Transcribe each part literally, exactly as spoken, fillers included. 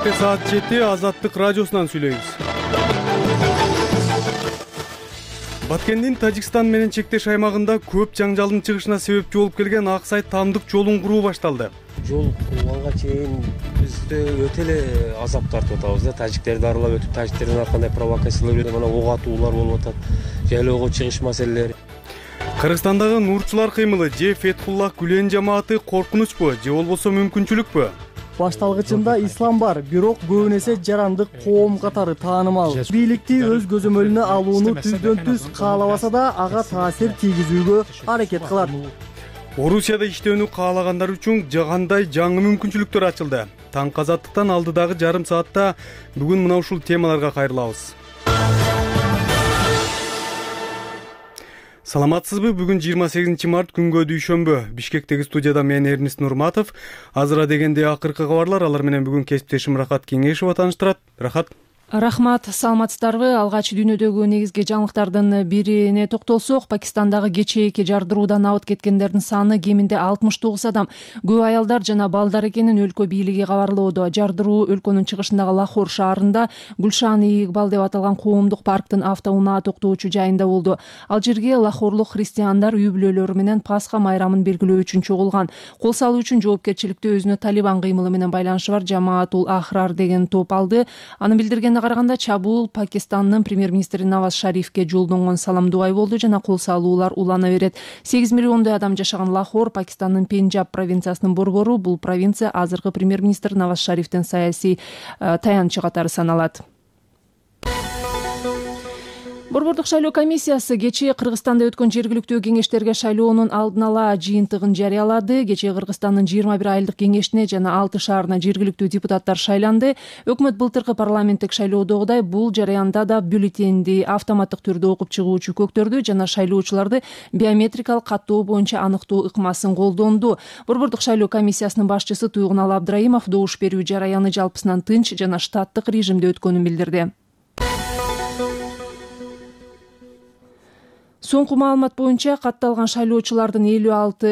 Саатте саат жети Азаттык радиосунан сүйлөйбүз. Баткендин Тажикстан менен чектеш аймагында көп жаңжалдын чыгышына себепчи болуп келген Аксай Тамдык жолун куруу башталды. Жол курганга чейин бизде өтө эле азап тартып атабыз да. Тажиктерди аралап өтүп, тажиктердин ар кандай провокациялар, мына ок атуулар болуп атат, жайлоого чыгыш маселелери. Кыргызстандагы нурчулар кыймылы же Фетхуллах Гүлен жамааты коркунучпу же болбосо мүмкүнчүлүкпү? Башталгычында ислам бар, бирок көбүн эсе жарандык коом катары таанымал. Бийликти өз көзөмөлүнө алууну түздөн түз каалабаса да, ага таасир тийгизүүгө аракет кылат. Орусияда иштөөнү каалагандар үчүн кандай жаңы мүмкүнчүлүктөр ачылды? Таңкы Азаттыктан алдыдагы жарым саатта бүгүн мына ушул темаларга кайрылабыз. Саламатсызбы? Бүгүн жыйырма сегизинчи март күнгө дүйшөмбү. Бишкектеги студияда мен Эрнис Нурматов. Азыра дегенде акыркы кабарлар, алар менен бүгүн кесиптешим Рахат Кеңешова тааныштырат. Рахат. Рахмат, саламатсыздарбы? Алгач дүйнөдөгү негизги жаңылыктардын бирине токтолсок, Пакистандагы кечээки жардыруудан абыт кеткендердин саны кеминде алтымыш тогуз адам. Көп аялдар жана балдар экенин өлкө бийлиги кабарлоодо. Жардыруу өлкөнүн чыгышындагы Лахор шаарында Гүлшан-и Игбал деп аталган коомдук парктын автоунаа токтоочу жайында болду. Ал жерге лахорлук христиандар үй бүлөлөрү менен Пасха майрамын белгилөө үчүн чогулган. Кол салуу үчүн жоопкерчиликти өзүнө Талибан кыймылы менен байланышы бар Жамаатул Ахрар деген топ алды. Аны билдирген караганда чабуул Пакистандын премьер-министри Наваз Шарифке жолдонгон салам дубай болду жана кол салуулар улана берет. сегиз миллиондой адам жашаган Лахор Пакистандын Пенджаб провинциясынын борбору. Бул провинция азыркы премьер-министр Наваз Шарифтин саясий таянычы катары саналат. Борбордук шайлоо комиссиясы кечээ Кыргызстанда өткөн жергиликтүү кеңештерге шайлоонун алдын ала жыйынтыгын жарыялады. Кечээ Кыргызстандын жыйырма бир айылдык кеңешине жана алты шаарына жергиликтүү депутаттар шайланды. Өкмөт былтыркы парламенттик шайлоодогудай бул жараянда да бюллетенди автоматтык түрдө окуп чыгуучу көктөрдү жана шайлоочуларды биометрикалык каттоо боюнча аныктоо ыкмасын колдонду. Борбордук шайлоо комиссиясынын башчысы Туйгунал Абдрайымов добуш берүү жараяны жалпысынан тынч жана штаттык режимде өткөнүн билдирди. Соңку маалымат боюнча катталган шайлоочулардын элүү алты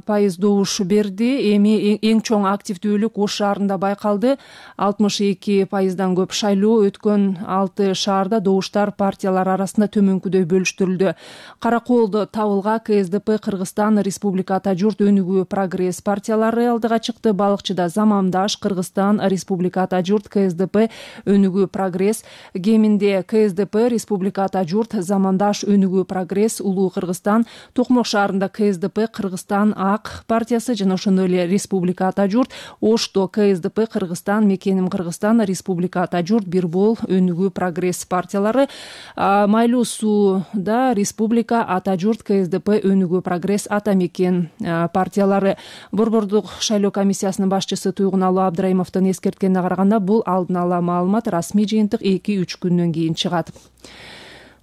пайыз добуш берди. Эми эң чоң активдүүлүк Ош шаарында байкалды. алтымыш эки пайыздан көп шайлоо өткөн алты шаарда добуштар партиялар арасында төмөнкүдөй бөлүштүрүлдү. Каракоолдо Табылга КСДП, Кыргызстан Республика Ата журт, Өнүгүү Прогресс партиялары алдыга чыкты. Балыкчыда Замамдаш, Кыргызстан Республика Ата журт, КСДП, Өнүгүү Прогресс. Кеминде КСДП, Республика Ата журт, Замамдаш, Өнүгүү Прогресс, Улуу Кыргызстан, Токмок шаарында КСДП, Кыргызстан Ак партиясы жана ошондой эле Республика Ата журт, Ошто КСДП, Кыргызстан, Мекеним Кыргызстан, Республика Ата журт, Бирбол, Өнүгүү Прогресс партиялары. Майлуу сууда Республика Ата журт, КСДП, Өнүгүү Прогресс, Ата Мекен партиялары. Борбордук шайлоо комиссиясынын башчысы Туйгунал Абдрайымовдун эскерткенине караганда, бул алдын ала маалымат, расмий жыйынтык эки үч күндөн кийин чыгат.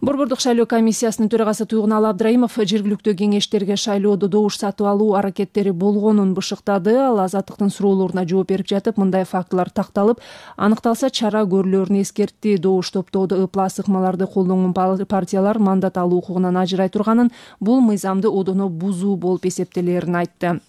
Борбордук шайлоо комиссиясынын төрагасы Туйгунал Абдрайымов жергиликтүү кеңештерге шайлоодо добуш сатып алуу аракеттери болгонун бышыктады. Ал Азаттыктын суроолоруна жооп берип жатып, мындай фактылар такталып, аныкталса чара көрүлөрүн эскертти. Добуш топтоодо ыплас ыкмаларды колдонгон партиялар мандат алуу укугунан ажырай турганын, бул мыйзамды одоно бузуу болуп эсептелерин айтты.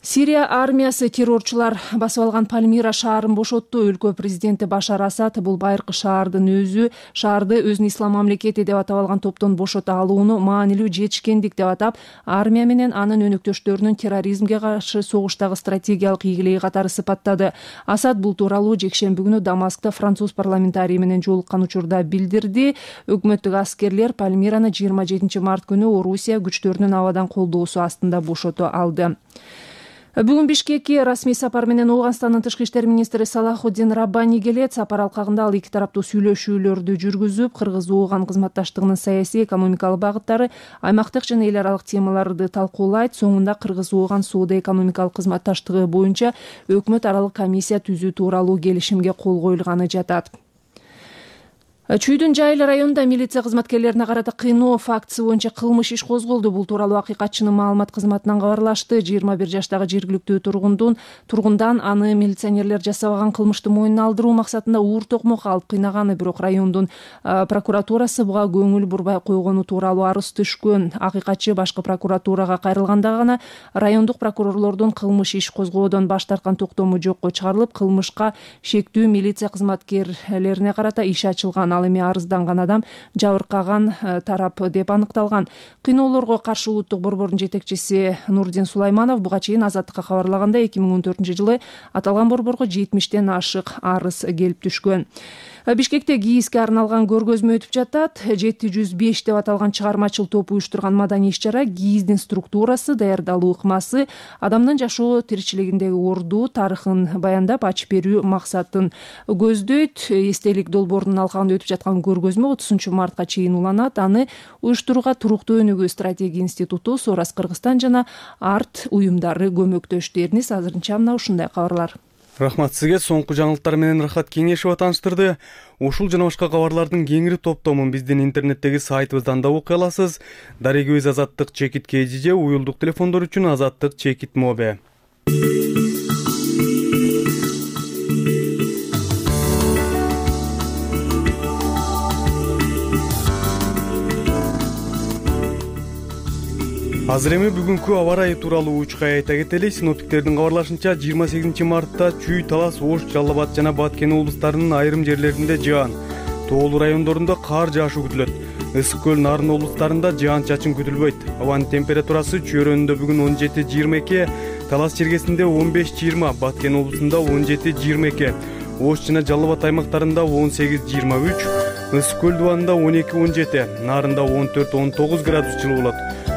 Сирия армиясы террорчулар басып алган Пальмира шаарын бошотту. Өлкө президенти Башар Асад бул байыркы шаардын өзү шаарды өзүн ислам мамлекети деп атап алган топтон бошото алууну маанилүү жетишкендик деп атап, армия менен анын өнөктөштөрүнүн терроризмге каршы согуштагы стратегиялык ийгилиги катары сыпаттады. Асад бул тууралуу жекшемби күнү Дамаскта француз парламентарийи менен жолуккан учурда билдирди. Өкмөттүк аскерлер Пальмираны жыйырма жетинчи март күнү Орусия күчтөрүнүн абадан колдоосу астында бошото алды. Бүгүн Бишкекке расмий сапар менен Ооганстандын тышкы иштер министри Салахуддин Раббани келет. Сапар алкагында ал эки тараптуу сүйлөшүүлөрдү жүргүзүп, Кыргыз-Ооган кызматташтыгынын саясий, экономикалык багыттары, аймактык жана эл аралык темаларды талкуулайт. Соңунда Кыргыз-Ооган соода-экономикалык кызматташтыгы боюнча өкмөт аралык комиссия түзүү тууралуу келишимге кол коюлганы жатат. Чүйдүн Жайыл районунда милиция кызматкерлерине карата кыйноо фактысы боюнча кылмыш иш козголду. Бул тууралуу акыйкатчынын маалымат кызматынан кабарлашты. жыйырма бир жаштагы жергиликтүү тургундун тургундан аны милиционерлер жасабаган кылмышты мойнуна алдыруу максатында уур токмокко алып кыйнаганы, бирок райондун прокуратурасы буга көңүл бурбай койгону тууралуу арыз түшкөн. Акыйкатчы башкы прокуратурага кайрылганда гана райондук прокурорлордун кылмыш иш козгоодон баш тарткан токтому жокко чыгарылып, кылмышка шектүү милиция кызматкерлерине карата иш ачылган. Ал эми арызданган адам жабыркаган тарап деп аныкталган. Кыйноолорго каршы улуттук борбордун жетекчиси Нурдин Сулайманов буга чейин Азаттыкка кабарлагандай, эки миң он төртүнчү жылы аталган борборго жетимиштен ашык арыз келип түшкөн. Бишкекте ГИИСке арналган көргөзмө өтүп жатат. жети жүз беш деп аталган чыгармачыл топ уюштурган маданий иш-чара ГИИСдин структурасы, даярдалуу ыкмасы, адамдын жашоо тиричилигиндеги орду, тарыхын баяндап ачып берүү максатын көздөйт. Эстелик долбоорунун алкагында өтүп жаткан көргөзмө отузунчу мартка чейин уланат. Аны уюштурууга Туруктуу өнүгүү стратегия институту, Сорас Кыргызстан жана арт уюмдары көмөктөштү. Эрнис азырынча мына ушундай кабарлар. Рахмат сизге. Соңку жаңылыктар менен Рахат Кеңешова тааныштырды. Ушул жана башка кабарлардын кеңири топтомун биздин интернеттеги сайтыбыздан да окуй аласыз. Дарегибиз Азаттык чекит kgj, уюлдук телефондор үчүн Азаттык чекит мобе. Азыр эми бүгүнкү аба ырайы тууралуу учка айта кетели. Синоптиктердин кабарлашынча жыйырма сегизинчи мартта Чүй, Талас, Ош, Жалал Абад жана Баткен облустарынын айрым жерлеринде жаан, тоолуу райондорунда кар жаашуу күтүлөт. Ысык көл, Нарын облустарында жаан-чачын күтүлбөйт. Абанын температурасы Чүй районунда бүгүн он жети жыйырма эки, Талас чергесинде он беш жыйырма, Баткен облусунда он жети жыйырма эки, Ош жана Жалал Абад аймактарында он сегиз жыйырма үч, Ысык көл дубанында он эки он жети, Нарында он төрт он тогуз градус жылуу болот.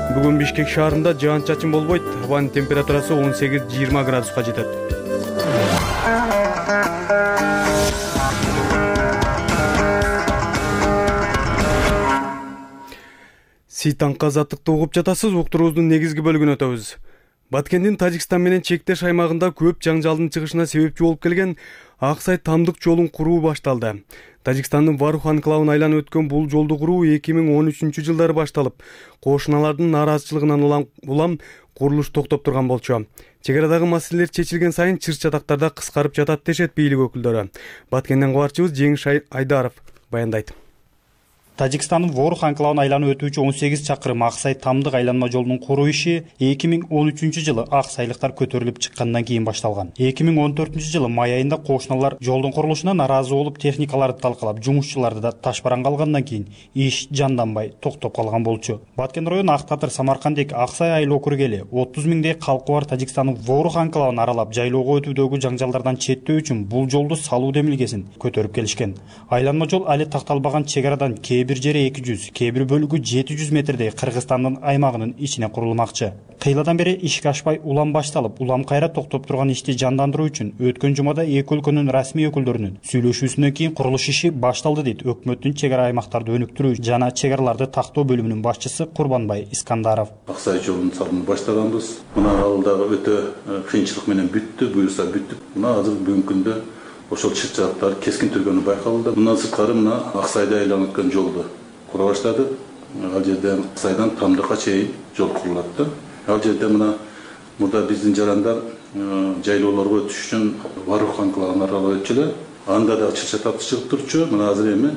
Бүгүн Бишкек шаарында жаан-чачын болбойт. Абанын температурасы он сегиз жыйырма градуска жетет. Ситаңка азаттыкты угуп жатасыз. Уктуруубуздун негизги бөлүгүнө өтөбүз. Баткендин Тажикстан менен чектеш аймагында көп жаңжалдын чыгышына себепчи болуп келген Аксай Тамдык жолун куруу башталды. Тажикстандын Варух анклавын айланып өткөн бул жолду куруу эки миң он үчүнчү жылдары башталып, кошуналардын нааразычылыгынан улам курулуш токтоп турган болчу. Чегарадагы маселелер чечилген сайын чыр-чатактарда кыскарып жатат дешет бийлик өкүлдөрү. Баткенден кабарчыбыз Жеңиш Айдаров баяндайт. Тажикстандын Ворух анклавын айланып өтүүчү он сегиз чакырым Аксай Тамдык айланма жолунун куруу иши эки миң он үчүнчү жылы аксайлыктар көтөрүлүп чыккандан кийин башталган. эки миң он төртүнчү жылы май айында кошуналар жолдун курулушуна нааразы болуп, техникаларды талкалап, жумушчуларды да ташбаранга алгандан кийин иш жанданбай токтоп калган болчу. Баткен району Ак Татыр, Самаркандек, Аксай айыл округу эли отуз миңдей калкы бар Тажикстандын Ворух анклавын аралап, жайлоого өтүүдөгү жаңжалдардан четтөө үчүн бул жолду салуу демилгесин көтөрүп келишкен. Айланма жол али такталбаган чегарадан кээ бир жери эки жүз, кээ бир бөлүгү жети жүз метрдей Кыргызстандын аймагынын ичине курулмакчы. Кыйладан бери ишке ашпай улам башталып, улам кайра токтоп турган ишти жандандыруу үчүн өткөн жумада эки өлкөнүн расмий өкүлдөрүнүн сүйлөшүүсүнөн кийин курулуш иши башталды дейт өкмөттүн чегара аймактарды өнүктүрүү жана чегараларды тактоо бөлүмүнүн башчысы Курбанбай Искандаров. Аксай жолунун салымын баштаганбыз. Мына алдагы өтө кыйынчылык менен бүттү, буюрса бүттүп. Мына азыр бүгүнкү күндө ошол чыр-чатактар кескин түргөнү байкалды. Мындан сырткары мына Аксайда айланып өткөн жолду кура баштады. Ал жерден Аксайдан Тамдыкка чейин жол курулат да. Ал жерде мына мурда биздин жарандар жайлоолорго өтүш үчүн Варух анклавын аралап өтчүлөр. Анда да чыр-чатак чыгып турчу. Мына азыр эми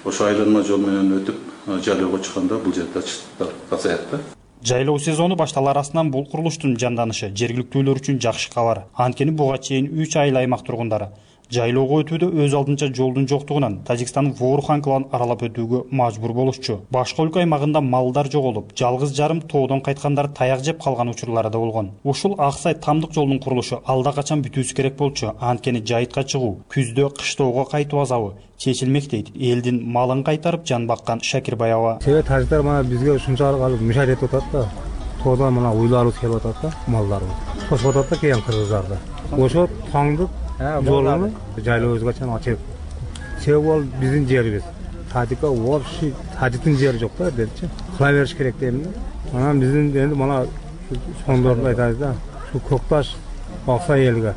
ошо айланма жол менен өтүп жайлоого чыкканда бул жерде чырчатактар азаят да. Жайлоо сезону башталар арасынан бул курулуштун жанданышы жергиликтүүлөр үчүн жакшы кабар. Анткени буга чейин үч айыл аймак тургундары жайлоого өтүүдө өз алдынча жолдун жоктугунан Тажикстандын Ворух анклавын аралап өтүүгө мажбур болушчу. Башка өлкө аймагында малдар жоголуп, жалгыз жарым тоодон кайткандар таяк жеп калган учурлары да болгон. Ушул Аксай Тамдык жолунун курулушу алда качан бүтүүсү керек болчу. Анткени жайытка чыгуу, күздө кыштоого кайтуу азабы чечилмек дейт элдин малын кайтарып жан баккан Шакирбаева. Себеби тажиктер мына бизге ушунчалык мишарат этип атат да. Тоодон мына уйларыбыз келип атат да, малдарыбыз. Кошуп атат да кийин кыргыздарда. Ошо Тамдык жолуну жайлообузга чейин ачып. Себеби ал биздин жерибиз. Тажикка вообще тажиктин жери жок да дечи. Кыла бериш керек дейм да. Анан биздин энди мына сондорду айтабыз да. Шу Көкташ Аксай элге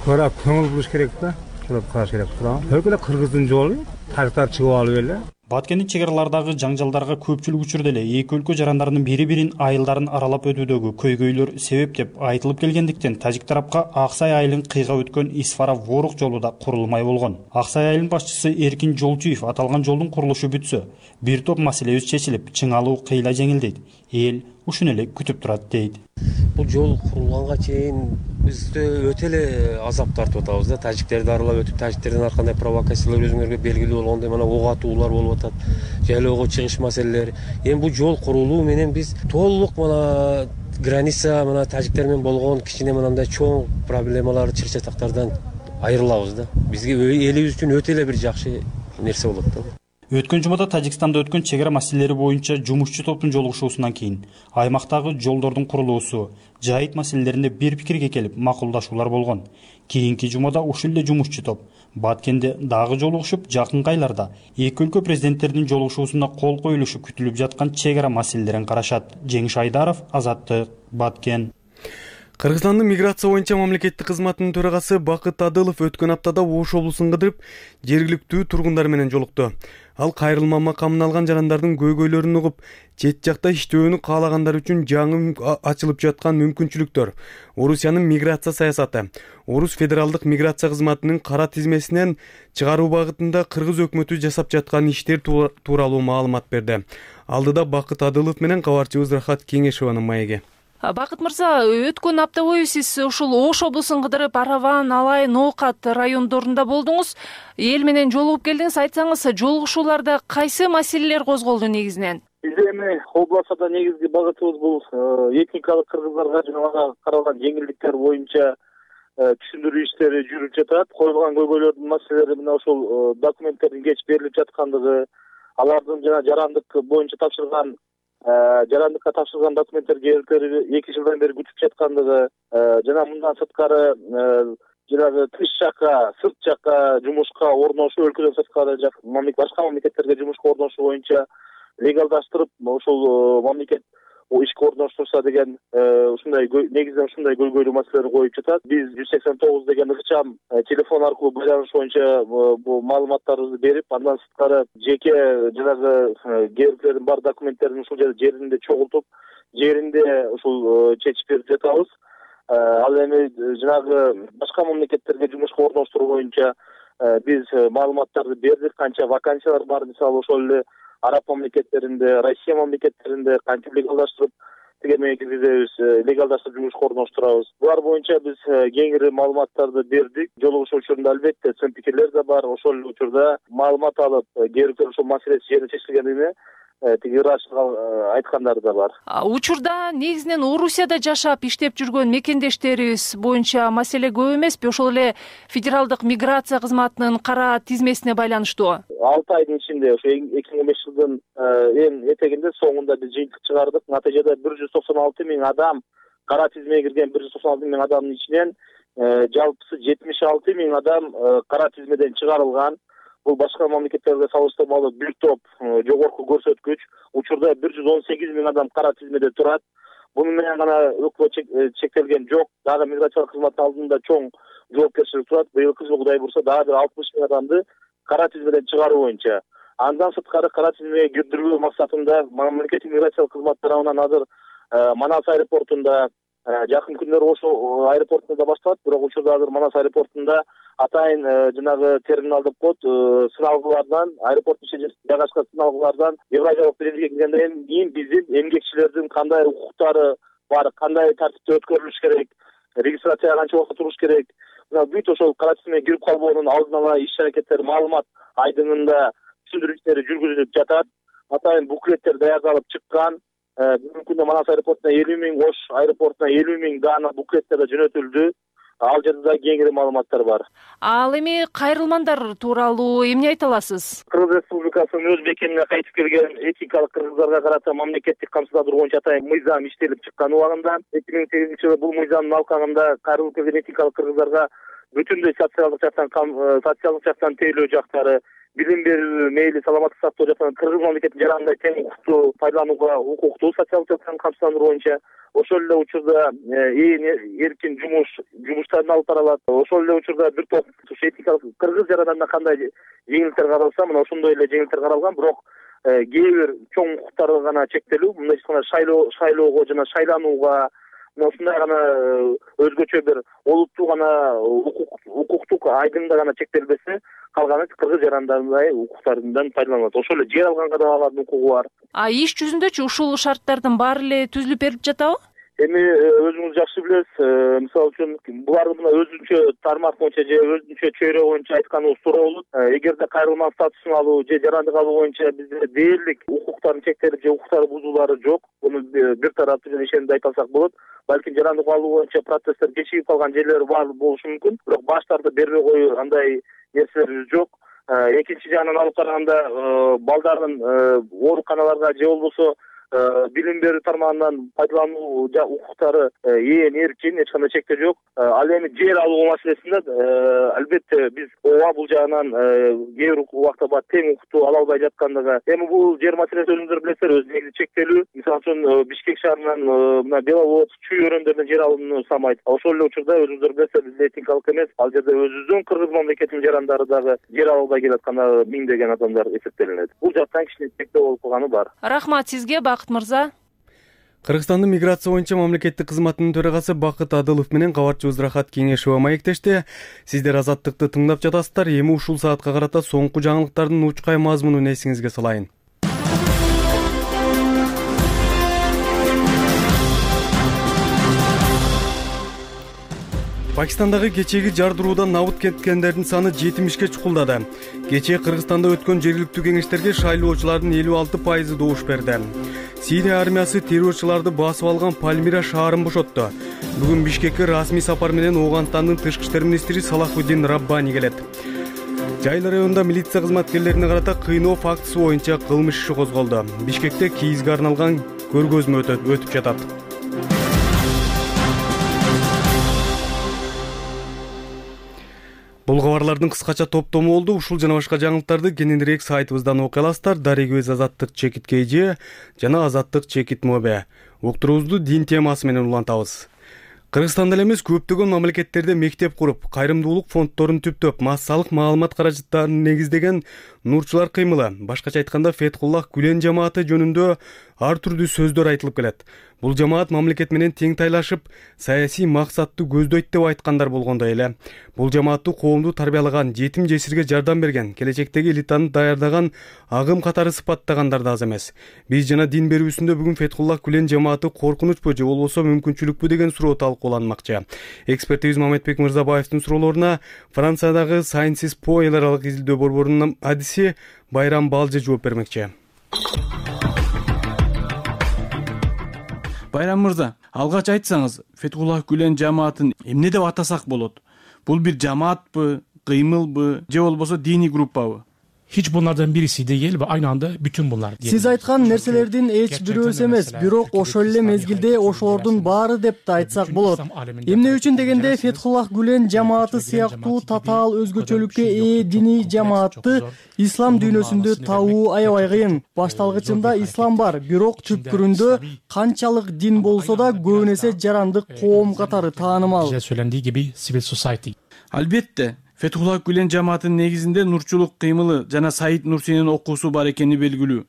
көрө көңүл буруш керек да. ошолорду караш керек турам. Өлкө эле кыргыздын жолу, тажиктар чыгып алып эле. Баткендик чек аралардагы жаңжалдарга көпчүлүк учурда эле эки өлкө жарандарынын бири-бирин айылдарын аралап өтүүдөгү көйгөйлөр себеп деп айтылып келгендиктен тажик тарапка Аксай айылын кыйга өткөн Исфара-Ворук жолу да курулмай болгон. Аксай айылынын башчысы Эркин Жолчуев аталган жолдун курулушу бүтсө, бир топ маселебиз чечилип, чыңалуу кыйла жеңилдейт. Эл ушуну эле күтүп турат дейт. Бул жол курулганга чейин биз өтө эле азап тартып атабыз да. Тажиктерди аралап өтүп, тажиктердин ар кандай провокациялар өзүңөргө белгилүү болгондой мына ок атуулар болуп атат, жайлоого чыгыш маселелери. Эми бул жол курулуу менен биз толук мына граница мына тажиктер менен болгон кичине мындай чоң проблемалар, чыр-чатактардан айрылабыз да. Бизге элибиз үчүн өтө эле бир жакшы нерсе болот да. Өткөн жумада Тажикстанда өткөн чек ара маселелери боюнча жумушчу топтун жолугушуусунан кийин аймактагы жолдордун курулуусу, жайыт маселелеринде бир пикирге келип макулдашуулар болгон. Кийинки жумада ушул эле жумушчу топ Баткенде дагы жолугушуп, жакынкы айларда эки өлкө президенттеринин жолугушуусуна кол коюлушу күтүлүп жаткан чек ара маселелерин карашат. Жеңиш Айдаров, Азаттык, Баткен. Кыргызстандын миграция боюнча мамлекеттик кызматынын төрагасы Бакыт Адылов өткөн аптада Ош облусун кыдырып, жергиликтүү тургундар менен жолукту. Ал кайрылма макамын алган жарандардын көйгөйлөрүн угуп, чет жакта иштөөнү каалагандар үчүн жаңы ачылып жаткан мүмкүнчүлүктөр, Орусиянын миграция саясаты, Орус федералдык миграция кызматынын кара тизмесинен чыгаруу багытында кыргыз өкмөтү жасап жаткан иштер тууралуу маалымат берди. Алдыда Бакыт Адылов менен кабарчыбыз Рахат Кеңешованын маеги. Бакыт мырза, өткөн апта бою сиз ушул Ош облусун кыдырып, Араван, Алай, Ноокат райондорунда болдуңуз. Эл менен жолугуп келдиңиз. Айтсаңыз, жолугушууларда кайсы маселелер козголду негизинен? Биз эми областта негизги багытыбыз бул этникалык кыргыздарга жана каралган жеңилдиктер боюнча түшүндүрүү иштери жүрүп жатат. Коюлган көйгөйлөрдүн маселелери мына ошол документтердин кеч берилип жаткандыгы, алардын жана жарандык боюнча тапшырган жарандыкка тапшырган документтер келиптери эки жылдан бери күтүп жаткандыгы, жана мындан сырткары жанагы тыш жакка, сырт жакка жумушка орношуу, өлкөдөн сырткары жак башка мамлекеттерге жумушка орношуу боюнча легалдаштырып, ошол мамлекет ишке орноштурса деген ушундай негизинен ушундай көйгөйлүү маселелер коюп жатат. Биз жүз сексен тогуз деген ыкчам телефон аркылуу байланыш боюнча бул маалыматтарыбызды берип, андан сырткары жеке жанагы керектелердин бар документтерин ушул жеринде чогултуп, жеринде ушул чечип берип жатабыз. Ал эми жанагы башка мамлекеттерге жумушка орноштуруу боюнча биз маалыматтарды бердик, канча вакансиялар бар, мисалы ошол эле Араб мамлекеттеринде, Россия мамлекеттеринде кантип легалдаштырып, тегеме киргизебиз, легалдаштырып жумушка орноштурабыз. Булар боюнча биз кеңири маалыматтарды бердик. Жолугушуу учурунда албетте сын пикирлер да бар. Ошол учурда маалымат алып, керектүү ошол маселе жерде чечилгенине тиги ырашыга айткандары да бар. Учурда негизинен Орусияда жашап иштеп жүргөн мекендештерибиз боюнча маселе көп эмеспи? Ошол эле федералдык миграция кызматынын кара тизмесине байланыштуу. алты айдын ичинде ошо эки миң он беш жылдын эң этегинде соңунда биз жыйынтык чыгардык. Натыйжада бир жүз токсон алты миң адам кара тизмеге кирген, бир жүз токсон алты миң адамдын ичинен жалпысы жетимиш алты миң адам кара тизмеден чыгарылган. Бул башка мамлекеттерге салыштырмалуу бир топ жогорку көрсөткүч. Учурда бир жүз он сегиз миң адам кара тизмеде турат. Буну менен гана өкмөт чектелген жок. Дагы миграциялык кызматтын алдында чоң жоопкерчилик турат. Быйылкы жылы Кудай бурса дагы бир алтымыш миң адамды кара тизмеден чыгаруу боюнча. Андан сырткары кара тизмеге кирдирүү максатында мамлекеттик миграциялык кызмат тарабынан азыр Манас аэропортунда жакын күндөрү ошол аэропортунда башталат. Бирок учурда азыр Манас аэропортунда атайын жанагы терминал деп коет, сыналгылардан, аэропорттун ичинде жайгашкан сыналгылардан Евразиялык биримге киргенден кийин биздин эмгекчилердин кандай укуктары бар, кандай тартипте өткөрүлүш керек, регистрацияга канча убакыт туруш керек, мына бүт ошол кара тизмеге кирип калбоонун алдын ала иш-аракеттер, маалымат айдыңында түшүндүрүү иштери жүргүзүлүп жатат. Атайын буклеттер даярдалып чыккан. Бүгүнкү күндө Манас аэропортуна элүү миң, Ош аэропортуна элүү миң даана буклеттер да жөнөтүлдү. Ал жерде да кеңири маалыматтар бар. Ал эми кайрылмандар тууралуу эмне айта аласыз? Кыргыз Республикасынын өз бекенине кайтып келген этникалык кыргыздарга карата мамлекеттик камсыздандыруу боюнча атайын мыйзам иштелип чыккан убагында эки миң сегизинчи жылы бул мыйзамдын алкагында кайрылып келген этникалык кыргыздарга бүтүндөй социалдык жактан социалдык жактан тейлөө жактары, билим берүү, мейли саламаттык сактоо жактан кыргыз мамлекетинин жарандык тең укукту пайдаланууга укуктуу социалдык жактан камсыздандыруу боюнча ошол эле учурда ээн эркин жумуш жумуштарын алып баралат. Ошол эле учурда бир топ этикалык кыргыз жарандарына кандай жеңилдиктер каралса, мына ошондой эле жеңилдиктер каралган, бирок кээ бир чоң укуктары гана чектелүү, мындай гана шайлоо шайлоого жана шайланууга, мына ушундай гана өзгөчө бир олуттуу гана укуктук айдыңда гана чектелбесе, калганы кыргыз жарандарындай укуктарынан пайдаланат. Ошол эле жер алганга да алардын укугу бар. А иш жүзүндөчү ушул шарттардын баары эле түзүлүп берип жатабы? Эми өзүңүз жакшы билесиз, мисалы үчүн буларды мына өзүнчө тармак боюнча же өзүнчө чөйрө боюнча айтканыбыз туура болот. Эгерде кайрылман статусун алуу же жарандык алуу боюнча бизде дээрлик укуктарын чектелип же укуктары бузуулары жок. Буну бир тараптуу жана ишенимде айта алсак болот. Балким жарандык алуу боюнча процесстер кечигип калган жерлери бар болушу мүмкүн, бирок баштарды бербей коюу андай нерселер жок. Экинчи жагынан алып караганда балдардын ооруканаларга же болбосо билим берүү тармагынан пайдалануу укуктары ээн эркин, эч кандай чектөө жок. Ал эми жер алуу маселесинде албетте биз ооба бул жагынан кээ бир убакта бар тең укукту ала албай жаткандыгы. Эми бул жер маселеси өзүңүздөр билесиздер, өз негизи чектелүү. Мисалы үчүн Бишкек шаарынан мына Беловод, Чүй өрөөндөрүнөн жер алууну самайт. Ошол эле учурда өзүңүздөр билесиздер, бизде этникалык эмес, ал жерде өзүбүздүн кыргыз мамлекетинин жарандары дагы жер ала албай келатканы миңдеген адамдар эсептелинет. Бул жактан кичине чектөө болуп калганы бар. Рахмат сизге, Бакыт мырза. Кыргызстандын миграция боюнча мамлекеттик кызматынын төрагасы Бакыт Адылов менен кабарчыбыз Рахат Кеңешова маектешти. Сиздер Азаттыкты тыңдап жатасыздар. Эми ушул саатка карата соңку жаңылыктардын учкай мазмунун эсиңизге салайын. Пакистандагы кечеги жардыруудан набыт кеткендердин саны жетимишке чукулдады. Кечээ Кыргызстанда өткөн жергиликтүү кеңештерге шайлоочулардын элүү алты пайызы добуш берди. Сирия армиясы террорчуларды басып алган Пальмира шаарын бошотту. Бүгүн Бишкекке расмий сапар менен Ооганстандын тышкы иштер министри Салахуддин Раббани келет. Жайла районунда милиция кызматкерлерине карата кыйноо фактысы боюнча кылмыш иши козголду. Бишкекте кийизге арналган көргөзмө өтүп жатат. Бул кабарлардын кыскача топтому болду. Ушул жана башка жаңылыктарды кененирээк сайтыбыздан окуй аласыздар. Дарек-өз Азаттык чекит kg жана Азаттык чекит мобе. Уктуруубузду дин темасы менен улантабыз. Кыргызстанда эле эмес, көптөгөн мамлекеттерде мектеп куруп, кайрымдуулук фонддорун түптөп, массалык маалымат каражаттарын негиздеген нурчулар кыймылы, башкача айтканда Фетхуллах Гүлен жамааты жөнүндө ар түрдүү сөздөр айтылып келет. Бул жамаат мамлекет менен тең тайлашып, саясий максатты көздөйт деп айткандар болгондой эле. Бул жамаатты коомду тарбиялаган, жетим жесирге жардам берген, келечектеги элитаны даярдаган агым катары сыпаттагандар да аз эмес. Биз жана дин берүүсүндө бүгүн Фетхуллах Гүлен жамааты коркунучпу же болбосо мүмкүнчүлүкпү деген суроо талкууланмакчы. Экспертибиз Мамедбек Мырзабаевдин суроолоруна Франциядагы Sciences Po эл аралык изилдөө борборунун адиси Байрам Балжы жооп бермекчи. Байрам мырза, алгач айтсаңыз, Фетхуллах Гүлен жамаатын эмне деп атасак болот? Бул бир жамаатпы, кыймылбы, же болбосо диний группабы? Hiç bunlardan birisi değil ve aynı anda bütün bunlar. Siz ayткан нерселердин эч бирөөсү эмес, бирок ошол эле мезгилде ошолордун баары деп да айтсак болот. Эмне үчүн дегенде Фетхуллах Гүлен жамааты сыяктуу татаал өзгөчөлүккө ээ диний жамаатты ислам дүйнөсүндө табуу аябай кыйын. Башталгычында ислам бар, бирок түпкүрүндө канчалык дин болсо да көбүн эсе жарандык коом катары таанымал. Söylendiği gibi civil society. Албетте, Фетхуллах Гүлен жамаатынын негизинде нурчулук кыймылы жана Саид Нурсинин окуусу бар экени белгилүү.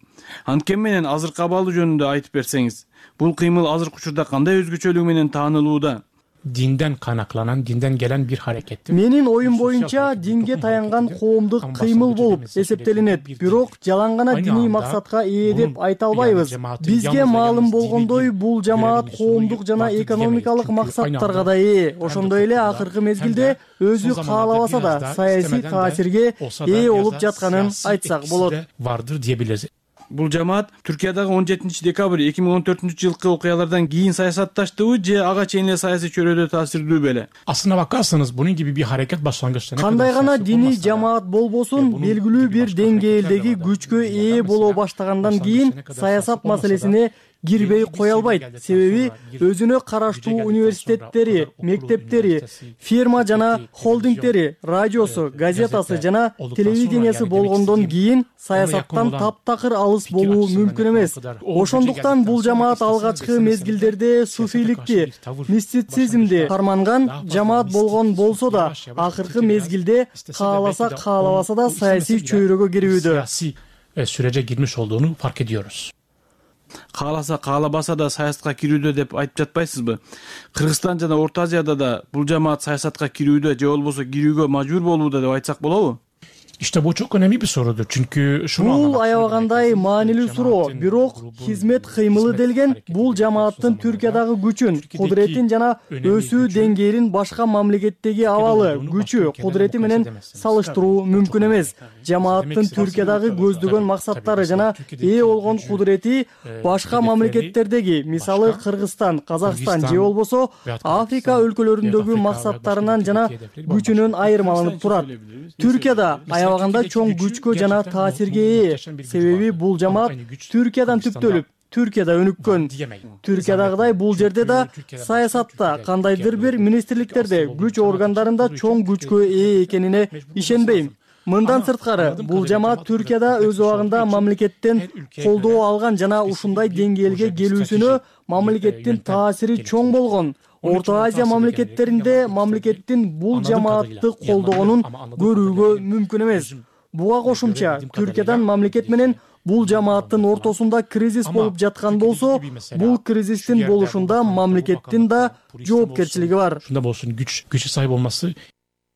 Анткени менен азыркы абалы жөнүндө айтып берсеңиз, бул кыймыл азыркы учурда кандай өзгөчөлүгү менен таанылууда? Dinden kaynaklanan, dinden gelen bir harekettir. Менин оюм боюнча динге таянган коомдук кыймыл болуп эсептелинет. Бирок жалаң гана диний максатка ээ деп айта албайбыз. Бизге маалым болгондой, бул жамаат коомдук жана экономикалык максаттарга да ээ. Ошондой эле акыркы мезгилде өзү каалабаса да саясий таасирге ээ болуп жатканын айтсак болот. Vardır diyebiliriz. Бул жамаат Түркиядагы он жетинчи декабрь эки миң он төртүнчү жылкы окуялардан кийин саясатташтыбы же ага чейин эле саясий чөйрөдө таасирдүү беле? Aslına bakarsanız bunun gibi bir hareket başlangıçta ne Кандай гана диний жамаат болбосун, белгилүү бир деңгээлдеги күчкө ээ боло баштагандан кийин саясат маселесине кирбей кое албайт. Себеби өзүнө караштуу университеттери, мектептери, фирма жана холдингдери, радиосу, газетасы жана телевидениясы болгондон кийин саясаттан таптакыр алыс болуу мүмкүн эмес. Ошондуктан бул жамаат алгачкы мезгилдерде суфийликти, мистицизмди карманган жамаат болгон болсо да, акыркы мезгилде кааласа каалабаса да саясий чөйрөгө кирүүдө. Sürece girmiş olduğunu fark ediyoruz. Кааласа каалабаса да саясатка кирүүдө деп айтып жатпайсызбы? Кыргызстан жана Орто Азияда да бул жамаат саясатка кирүүдө же болбосо кирүүгө мажбур болууда деп айтсак болобу? İşte bu çok önemli bir sorudur. Çünkü şunu Бул anlamak аябагандай маанилүү суроо. Бирок хизмет кыймылы делген бул жамааттын Түркиядагы күчүн, кудуретин жана өсүү деңгээлин башка мамлекеттеги абалы, күчү, кудурети менен салыштыруу мүмкүн эмес. Жамааттын Түркиядагы көздөгөн максаттары жана ээ болгон кудурети башка мамлекеттердеги, мисалы Кыргызстан, Казакстан же болбосо Африка өлкөлөрүндөгү максаттарынан жана күчүнөн айырмаланып турат. Түркияда аябаганда чоң күчкө жана таасирге ээ. Себеби бул жамаат Түркиядан түптөлүп, Түркияда өнүккөн. Түркиядагыдай бул жерде да саясатта, кандайдыр бир министрликтерде, күч органдарында чоң күчкө ээ экенине ишенбейм. Мындан сырткары, бул жамаат Түркияда өз убагында мамлекеттен колдоо алган жана ушундай деңгээлге келүүсүнө мамлекеттин таасири чоң болгон. Орто Азия мамлекеттеринде мамлекеттин бул жамаатты колдогонун көрүүгө мүмкүн эмес. Буга кошумча, Түркиядан мамлекет менен бул жамааттын ортосунда кризис болуп жаткан болсо, бул кризистин болушунда мамлекеттин да жоопкерчилиги бар. Şunda bolsun güç güçe sahip olması.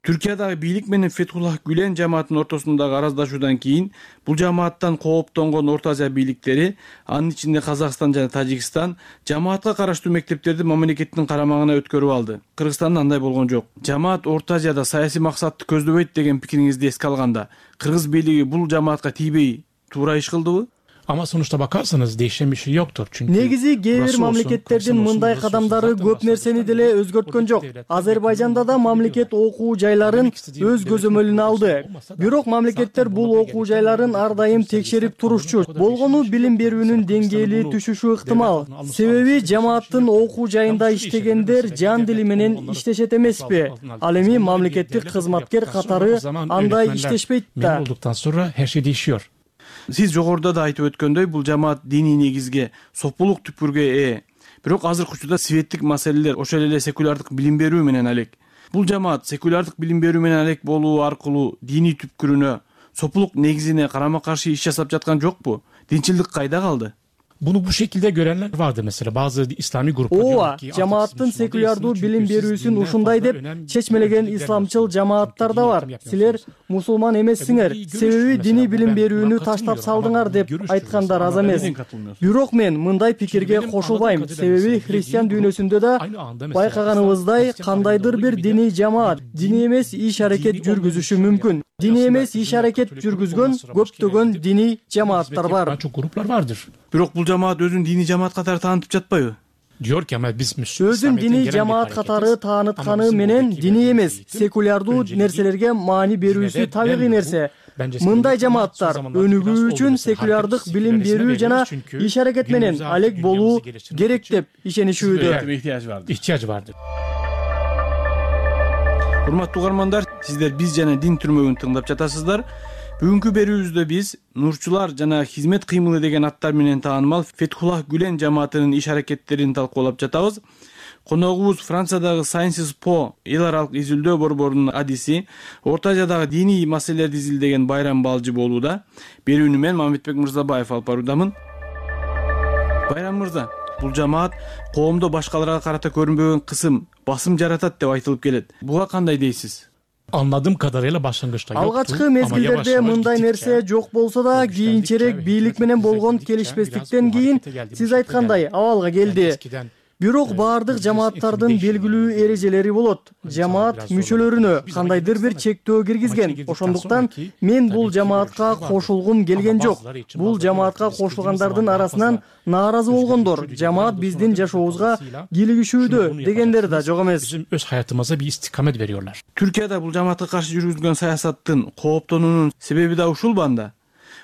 Түркиядагы бийлик менен Фетхуллах Гүлен жамаатынын ортосундагы араздашуудан кийин бул жамааттан кооптонгон Орто Азия бийликтери, анын ичинде Казакстан жана Тажикстан, жамаатка караштуу мектептерди мамлекеттин карамагына өткөрүп алды. Кыргызстанда андай болгон жок. Жамаат Орто Азияда саясий максатты көздөбөйт деген пикириңизди эске алганда, кыргыз бийлиги бул жамаатка тийбей туура иш кылдыбы? Ama sonuçta bakarsanız değişen bir şey yoktur. Çünkü негизи кээ бир мамлекеттердин мындай кадамдары көп нерсени деле өзгөрткөн жок. Азербайжанда да мамлекет окуу жайларын өз көзөмөлүнө алды. Бирок мамлекеттер бул окуу жайларын ар дайым текшерип турушчу. Болгону билим берүүнүн деңгээли түшүшү ыктымал. Себеби жамааттын окуу жайында иштегендер жан дили менен иштешет эмеспи? Ал эми мамлекеттик кызматкер катары андай иштешпейт да. Olduktan sonra her şey değişiyor. Сиз жогоруда да айтып өткөндөй, бул жамаат диний негизге, сопулук түпкүргө ээ. Бирок азыркы учурда светтик маселелер, ошол эле секулярдык билим берүү менен алек. Бул жамаат секулярдык билим берүү менен алек болуу аркылуу диний түпкүрүнө, сопулук негизине карама каршы иш жасап жаткан жокпу? Динчилдик кайда калды? Bunu bu şekilde görenler vardır mesela bazı İslami gruplar. Ооба, жамааттын секулярдуу билим берүүсүн ушундай деп чечмелеген исламчыл жамааттар да бар. Силер мусулман эмессиңер, себеби диний билим берүүнү таштап салдыңар деп айткандар аз эмес. Бирок мен мындай пикирге кошулбайм, себеби христиан дүйнөсүндө да байкаганыбыздай кандайдыр бир диний жамаат диний эмес иш аракет жүргүзүшү мүмкүн. Диний эмес иш аракет жүргүзгөн көптөгөн диний жамааттар бар. Çok gruplar vardır. Бирок бул жамаат өзүн диний жамаат катары таанытып жатпайбы? Diyor ki ama biz Өзүн диний жамаат катары таанытканы менен диний эмес, секулярдуу нерселерге маани берүүсү табигый нерсе. Мындай жамааттар өнүгүү үчүн секулярдык билим берүү жана иш аракет менен алек болуу керек деп ишенишүүдө. ihtiyaç vardır. Урматтуу угармандар, сиздер биз жана дин түрмөгүн тыңдап жатасыздар. Бүгүнкү берүүбүздө биз нурчулар жана хизмет кыймылы деген аттар менен таанымал Фетхуллах Гүлен жамаатынын иш аракеттерин талкуулап жатабыз. Коногубуз Франциядагы Sciences Po эл аралык изилдөө борборунун адиси, Орто Азиядагы диний маселелерди изилдеген Байрам Балжы болууда. Берүүнү мен Мамедбек Мырзабаев алып баруудамын. Байрам мырза, бул жамаат коомдо башкаларга карата көрүнбөгөн кысым, басым жаратат деп айтылып келет. Буга кандай дейсиз? Anladığım kadarıyla başlangıçta yoktu. Алгачкы мезгилдерде мындай нерсе жок болсо да, кийинчерээк бийлик менен болгон келишпестиктен кийин сиз айткандай абалга келди. Бирок баардык жамааттардын белгилүү эрежелери болот. Жамаат мүчөлөрүнө кандайдыр бир чектөө киргизген. Ошондуктан мен бул жамаатка кошулгум келген жок. Бул жамаатка кошулгандардын арасынан нааразы болгондор, жамаат биздин жашообузга кийлигишүүдө дегендер да жок эмес. Bizim öz hayatımıza bir istikamet veriyorlar. Түркияда бул жамаатка каршы жүргүзүлгөн саясаттын кооптонуунун себеби да ушул банда.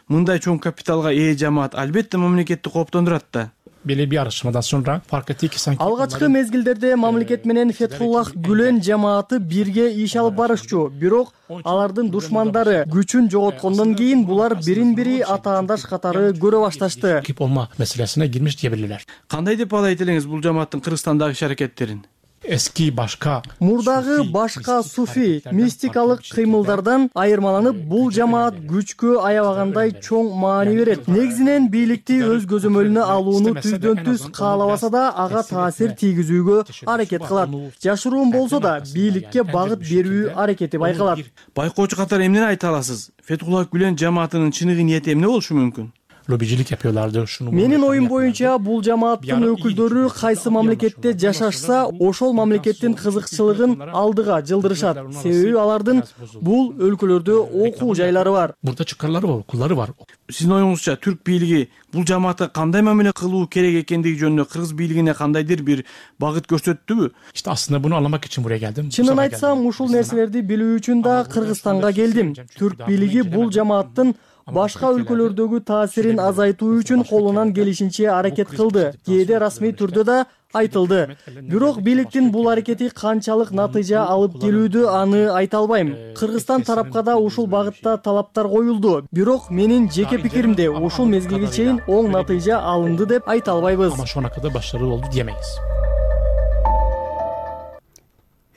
Мындай чоң капиталга ээ жамаат албетте мамлекетти кооптондурат да. belli bir araştırmadan sonra fark etti ki sanki алгачкы мезгилдерде мамлекет менен Фетхуллах Гүлен жамааты бирге иш алып барышчу, бирок алардын душмандары күчүн жоготкондон кийин булар бирин бири атаандаш катары көрө башташты. rakip olma meselesine girmiş diyebilirler. Кандай деп баалайт элеңиз бул жамааттын Кыргызстандагы иш аракеттерин? Eski başka Мурдагы башка суфи мистикалык кыймылдардан айырмаланып, бул жамаат күчкө аябагандай чоң маани берет. Негизинен бийликти өз көзөмөлүнө алууну түздөн түз каалабаса да ага таасир тийгизүүгө аракет кылат. Жашыруун болсо да бийликке багыт берүү аракети байкалат. Байкоочу катары эмнени айта аласыз? Фетхуллах Гүлен жамаатынын чыныгы ниети эмне болушу мүмкүн? lobicilik yapıyorlardı. Şunu Менин оюм боюнча бул жамааттын өкүлдөрү кайсы мамлекетте жашашса, ошол мамлекеттин кызыкчылыгын алдыга жылдырышат. Себеби алардын бул өлкөлөрдө окуу жайлары бар. Burada çıkarları var, okulları var. Сиздин оюңузча түрк бийлиги бул жамаатка кандай мамиле кылуу керек экендиги жөнүндө кыргыз бийлигине кандайдыр бир багыт көрсөттүбү? İşte aslında bunu anlamak için buraya geldim. Чынын айтсам, ушул нерселерди билүү үчүн да Кыргызстанга келдим. Түрк бийлиги бул жамааттын башка өлкөлөрдөгү таасирин азайтуу үчүн колунан келишинче аракет кылды. Кээде расмий түрдө да айтылды. Бирок бийликтин бул аракети канчалык натыйжа алып келүүдө аны айта албайм. Кыргызстан тарапка да ушул багытта талаптар коюлду. Бирок менин жеке пикиримде ушул мезгилге чейин оң натыйжа алынды деп айта албайбыз. Ama şu ana kadar başarılı oldu diyemeyiz.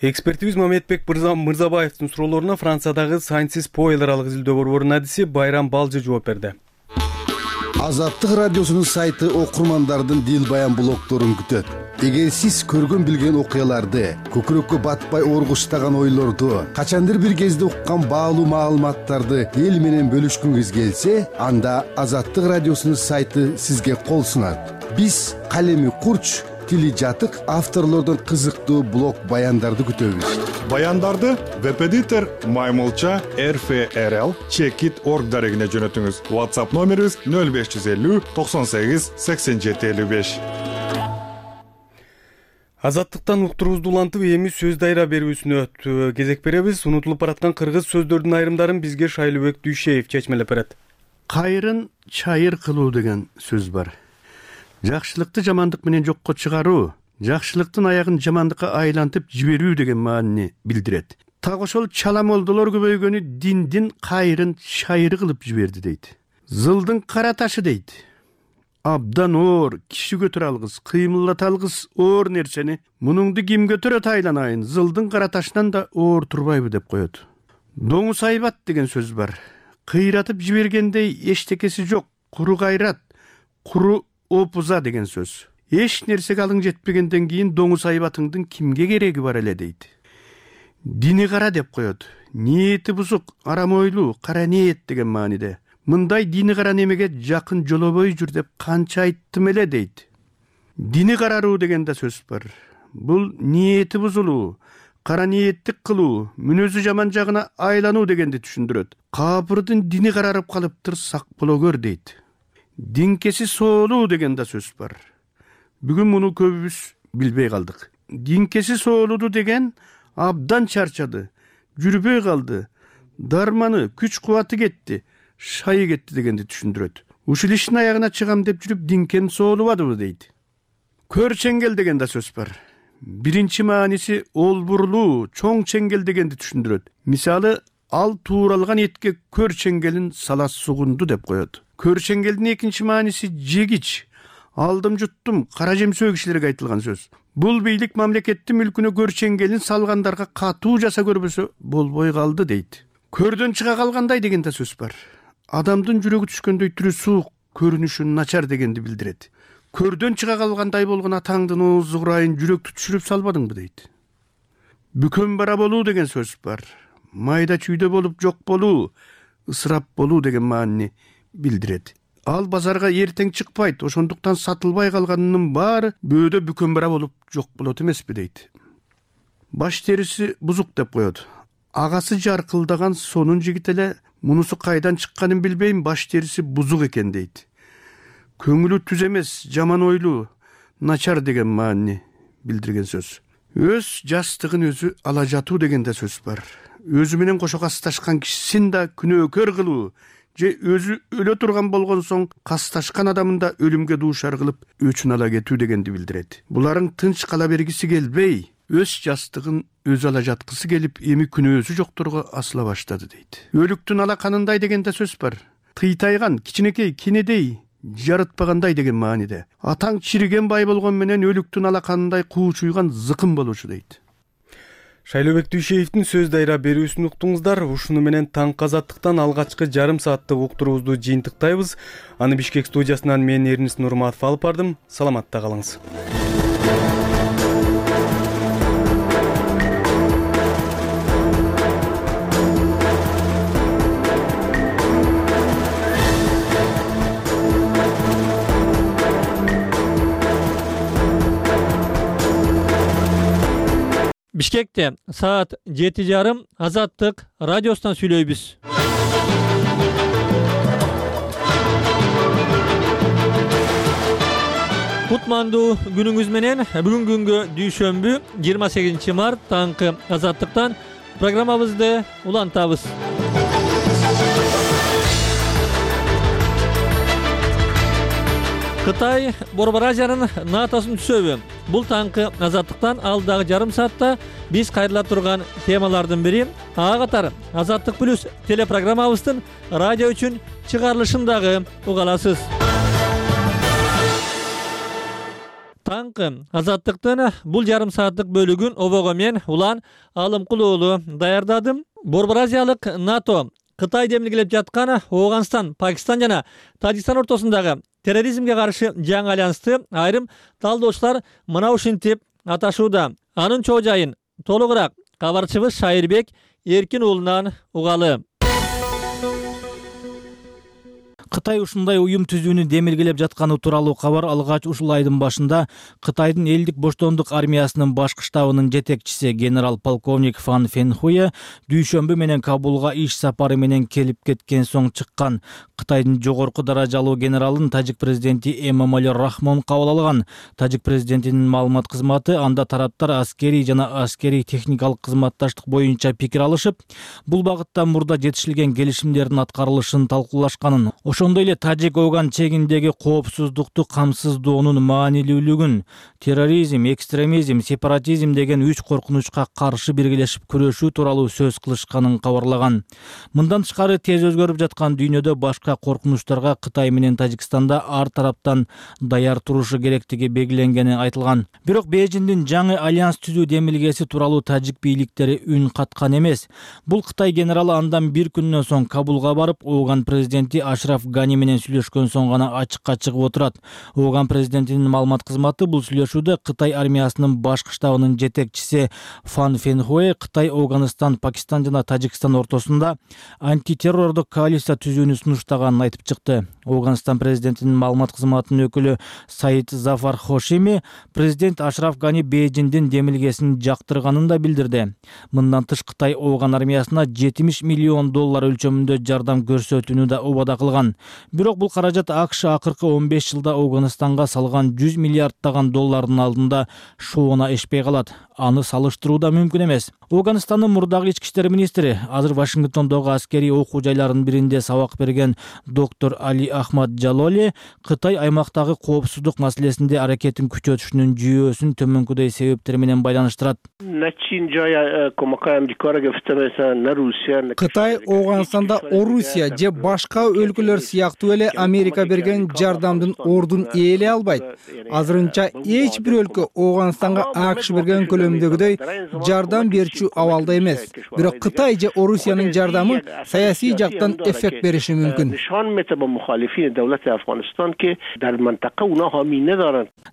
Экспертибиз Мамедбек Мырзабаевдин суроолоруна Франциядагы Sciences Po эл аралык изилдөө борборунун адиси Байрам Балжы жооп берди. Азаттык радиосунун сайты окурмандардын дил баян блогдорун күтөт. Эгер сиз көргөн билген окуяларды, көкүрөккө батпай оргуштаган ойлорду, качандыр бир кезде уккан баалуу маалыматтарды эл менен бөлүшкүңүз келсе, анда Азаттык радиосунун сайты сизге кол сунат. Биз калеми курч, тили жатык авторлордун кызыктуу блог баяндарды күтөбүз. Баяндарды веб-эдитор Маймылча эр эф эр эл чекит точка орг дарегине жөнөтүңүз. WhatsApp номерибиз нөл беш жүз элүү токсон сегиз сексен жети элүү беш. Азаттыктан уктуруубузду улантып, эми сөз дайра берүүсүнө кезек беребиз. Унутулуп бараткан кыргыз сөздөрдүн айрымдарын бизге Шайлыбек Дүйшеев чечмелеп берет. Кайрын чайыр кылуу деген сөз бар. Жакшылыкты жамандык менен жокко чыгаруу, жакшылыктын аягын жамандыкка айлантып жиберүү деген маанини билдирет. Так ошол чала молдолор көбөйгөнү диндин кайрын чайыр кылып жиберди дейт. Зылдын кара ташы дейт. Абдан оор, киши көтөрө алгыс, кыймылдата алгыс оор нерсени мунуңду ким көтөрөт айланайын, зылдын кара ташынан да оор турбайбы деп коет. Доңуз айбат деген сөз бар. Кыйратып жибергендей эчтекеси жок, куру кайрат, куру опуза деген сөз. Эч нерсеге алың жетпегенден кийин доңуз айбатыңдын кимге кереги бар эле дейт. Дини кара деп коет. Ниети бузук, арам ойлуу, кара ниет деген мааниде. Мындай дини кара немеге жакын жолобой жүр деп канча айттым эле дейт. Дини караруу деген да сөз бар. Бул ниети бузулуу, кара ниеттик кылуу, мүнөзү жаман жагына айлануу дегенди түшүндүрөт. Капырдын дини карарып калыптыр, сак боло көр дейт. Динкеси соолуу деген да сөз бар. Бүгүн муну көбүбүз билбей калдык. Динкеси соолуду деген абдан чарчады, жүрбөй калды, дарманы, күч кубаты кетти, шайы кетти дегенди түшүндүрөт. Ушул иштин аягына чыгам деп жүрүп динкен соолубадыбы дейт. Көр чеңгел деген да сөз бар. Биринчи мааниси олбурлуу, чоң чеңгел дегенди түшүндүрөт. Мисалы, ал тууралган этке көр чеңгелин сала сугунду деп коет. Көр чеңгелдин экинчи мааниси жегич. Алдым жуттум, кара жемсөө кишилерге айтылган сөз. Бул бийлик мамлекеттин мүлкүнө көр чеңгелин салгандарга катуу жаса көрбөсө болбой калды дейт. Көрдөн чыга калгандай деген да сөз бар. Адамдын жүрөгү түшкөндөй түрү суук, көрүнүшү начар дегенди билдирет. Көрдөн чыга калгандай болгон атаңдын оозу курайын жүрөктү түшүрүп салбадыңбы дейт. Бүкөн бара болуу деген сөз бар. Майда чүйдө болуп жок болуу, ысырап болуу деген маанини билдирет. Ал базарга эртең чыкпайт, ошондуктан сатылбай калганынын баары бөөдө бүкөн бара болуп жок болот эмеспи дейт. Баш териси бузук деп коет. Агасы жаркылдаган сонун жигит эле мунусу кайдан чыкканын билбейм, баш териси бузук экен дейт. Көңүлү түз эмес, жаман ойлуу, начар деген маанини билдирген сөз. Өз жастыгын өзү ала жатуу деген да сөз бар. Өзү менен кошо касташкан кишисин да күнөөкөр кылуу, же өзү өлө турган болгон соң касташкан адамын да өлүмгө дуушар кылып өчүн ала кетүү дегенди билдирет. Буларың тынч кала бергиси келбей, өз жастыгын өзү ала жаткысы келип, эми күнөөсү жокторго асыла баштады дейт. Өлүктүн алаканындай деген да сөз бар. Тыйтайган, кичинекей, кенедей, жарытпагандай деген мааниде. Атаң чириген бай болгон менен өлүктүн алаканындай куучуйган зыкым болушу дейт. Шайлообек Дүйшеевдин сөз дайра берүүсүн уктуңуздар. Ушуну менен таңкы азаттыктан алгачкы жарым сааттык уктуруубузду жыйынтыктайбыз. Аны Бишкек студиясынан мен Эрнис Нурматов алып бардым. Саламатта калыңыз. Бишкекте саат жети жарым Азаттык радиосунан сүйлөйбүз. Кутмандуу күнүңүз менен. Бүгүнкү күнгө дүйшөмбү жыйырма сегизинчи март таңкы Азаттыктан программабызды улантабыз. Кытай Борбор Азиянын натосын түшөбү. Бул таңкы Азаттыктан алдагы жарым саатта биз кайрыла турган темалардын бири. Ага катары Азаттык плюс телепрограммабыздын радио үчүн чыгарылышын дагы уга аласыз. Таңкы Азаттыктын бул жарым сааттык бөлүгүн обого мен Улан Алымкулуу даярдадым. Борбор Азиялык НАТО Кытай демилгелеп жаткан Ооганстан, Пакистан жана Тажикстан ортосундагы терроризмге каршы жаңы альянсты айрым талдоочулар мына ушинтип аташууда. Анын чоо жайын толугураак кабарчыбыз Шайырбек Эркин уулунан угалы. Кытай ушундай уюм түзүүнү демилгелеп жатканы тууралуу кабар алгач ушул айдын башында Кытайдын элдик боштондук армиясынын башкы штабынын жетекчиси генерал полковник Фан Фенхуе дүйшөмбү менен Кабулга иш сапары менен келип кеткен соң чыккан. Кытайдын жогорку даражалуу генералын тажик президенти Эмомали Рахмон кабыл алган. Тажик президентинин маалымат кызматы анда тараптар аскерий жана аскерий техникалык кызматташтык боюнча пикир алышып, бул багытта мурда жетишилген келишимдердин аткарылышын талкуулашканын, ошондой эле Тажик-Ооган чегиндеги коопсуздукту камсыздоонун маанилүүлүгүн, терроризм, экстремизм, сепаратизм деген үч коркунучка каршы биргелешип күрөшүү тууралуу сөз кылышканын кабарлаган. Мындан тышкары тез өзгөрүп жаткан дүйнөдө башка коркунучтарга Кытай менен Тажикстанда ар тараптан даяр турушу керектиги белгиленгени айтылган. Бирок Бейжиңдин жаңы альянс түзүү демилгеси тууралуу тажик бийликтери үн каткан эмес. Бул Кытай генералы андан бир күндөн соң Кабулга барып, Ооган президенти Ашраф Гани менен сүйлөшкөн соң гана ачыкка чыгып отурат. Ооган президентинин маалымат кызматы бул сүйлөшүүдө Кытай армиясынын башкы штабынын жетекчиси Фан Фенхуэ Кытай, Ооганстан, Пакистан жана Тажикстан ортосунда антитеррордук коалиция түзүүнү сунуштаганын айтып чыкты. Ооганстан президентинин маалымат кызматынын өкүлү Саид Зафар Хошими президент Ашраф Гани Бейжиңдин демилгесин жактырганын да билдирди. Мындан тыш Кытай Ооган армиясына жетимиш миллион доллар өлчөмүндө жардам көрсөтүүнү да убада кылган. Бирок бул каражат АКШ акыркы он беш жылда Ооганстанга салган жүз миллиарддаган доллардын алдында шоуна эшпей калат. Аны салыштыруу да мүмкүн эмес. Ооганстандын мурдагы ички иштер министри, азыр Вашингтондогу аскерий окуу жайларынын биринде сабак берген доктор Али Ахмад Жалоли Кытай аймактагы коопсуздук маселесинде аракетин күчөтүшүнүн жүйөсүн төмөнкүдөй себептер менен байланыштырат. Кытай Ооганстанда Орусия же башка өлкөлөр сыяктуу эле Америка берген жардамдын ордун ээлей албайт. Азырынча эч бир өлкө Ооганстанга АКШ берген көлөмдөгүдөй жардам берүүчү абалда эмес. Бирок Кытай же Орусиянын жардамы саясий жактан эффект бериши мүмкүн.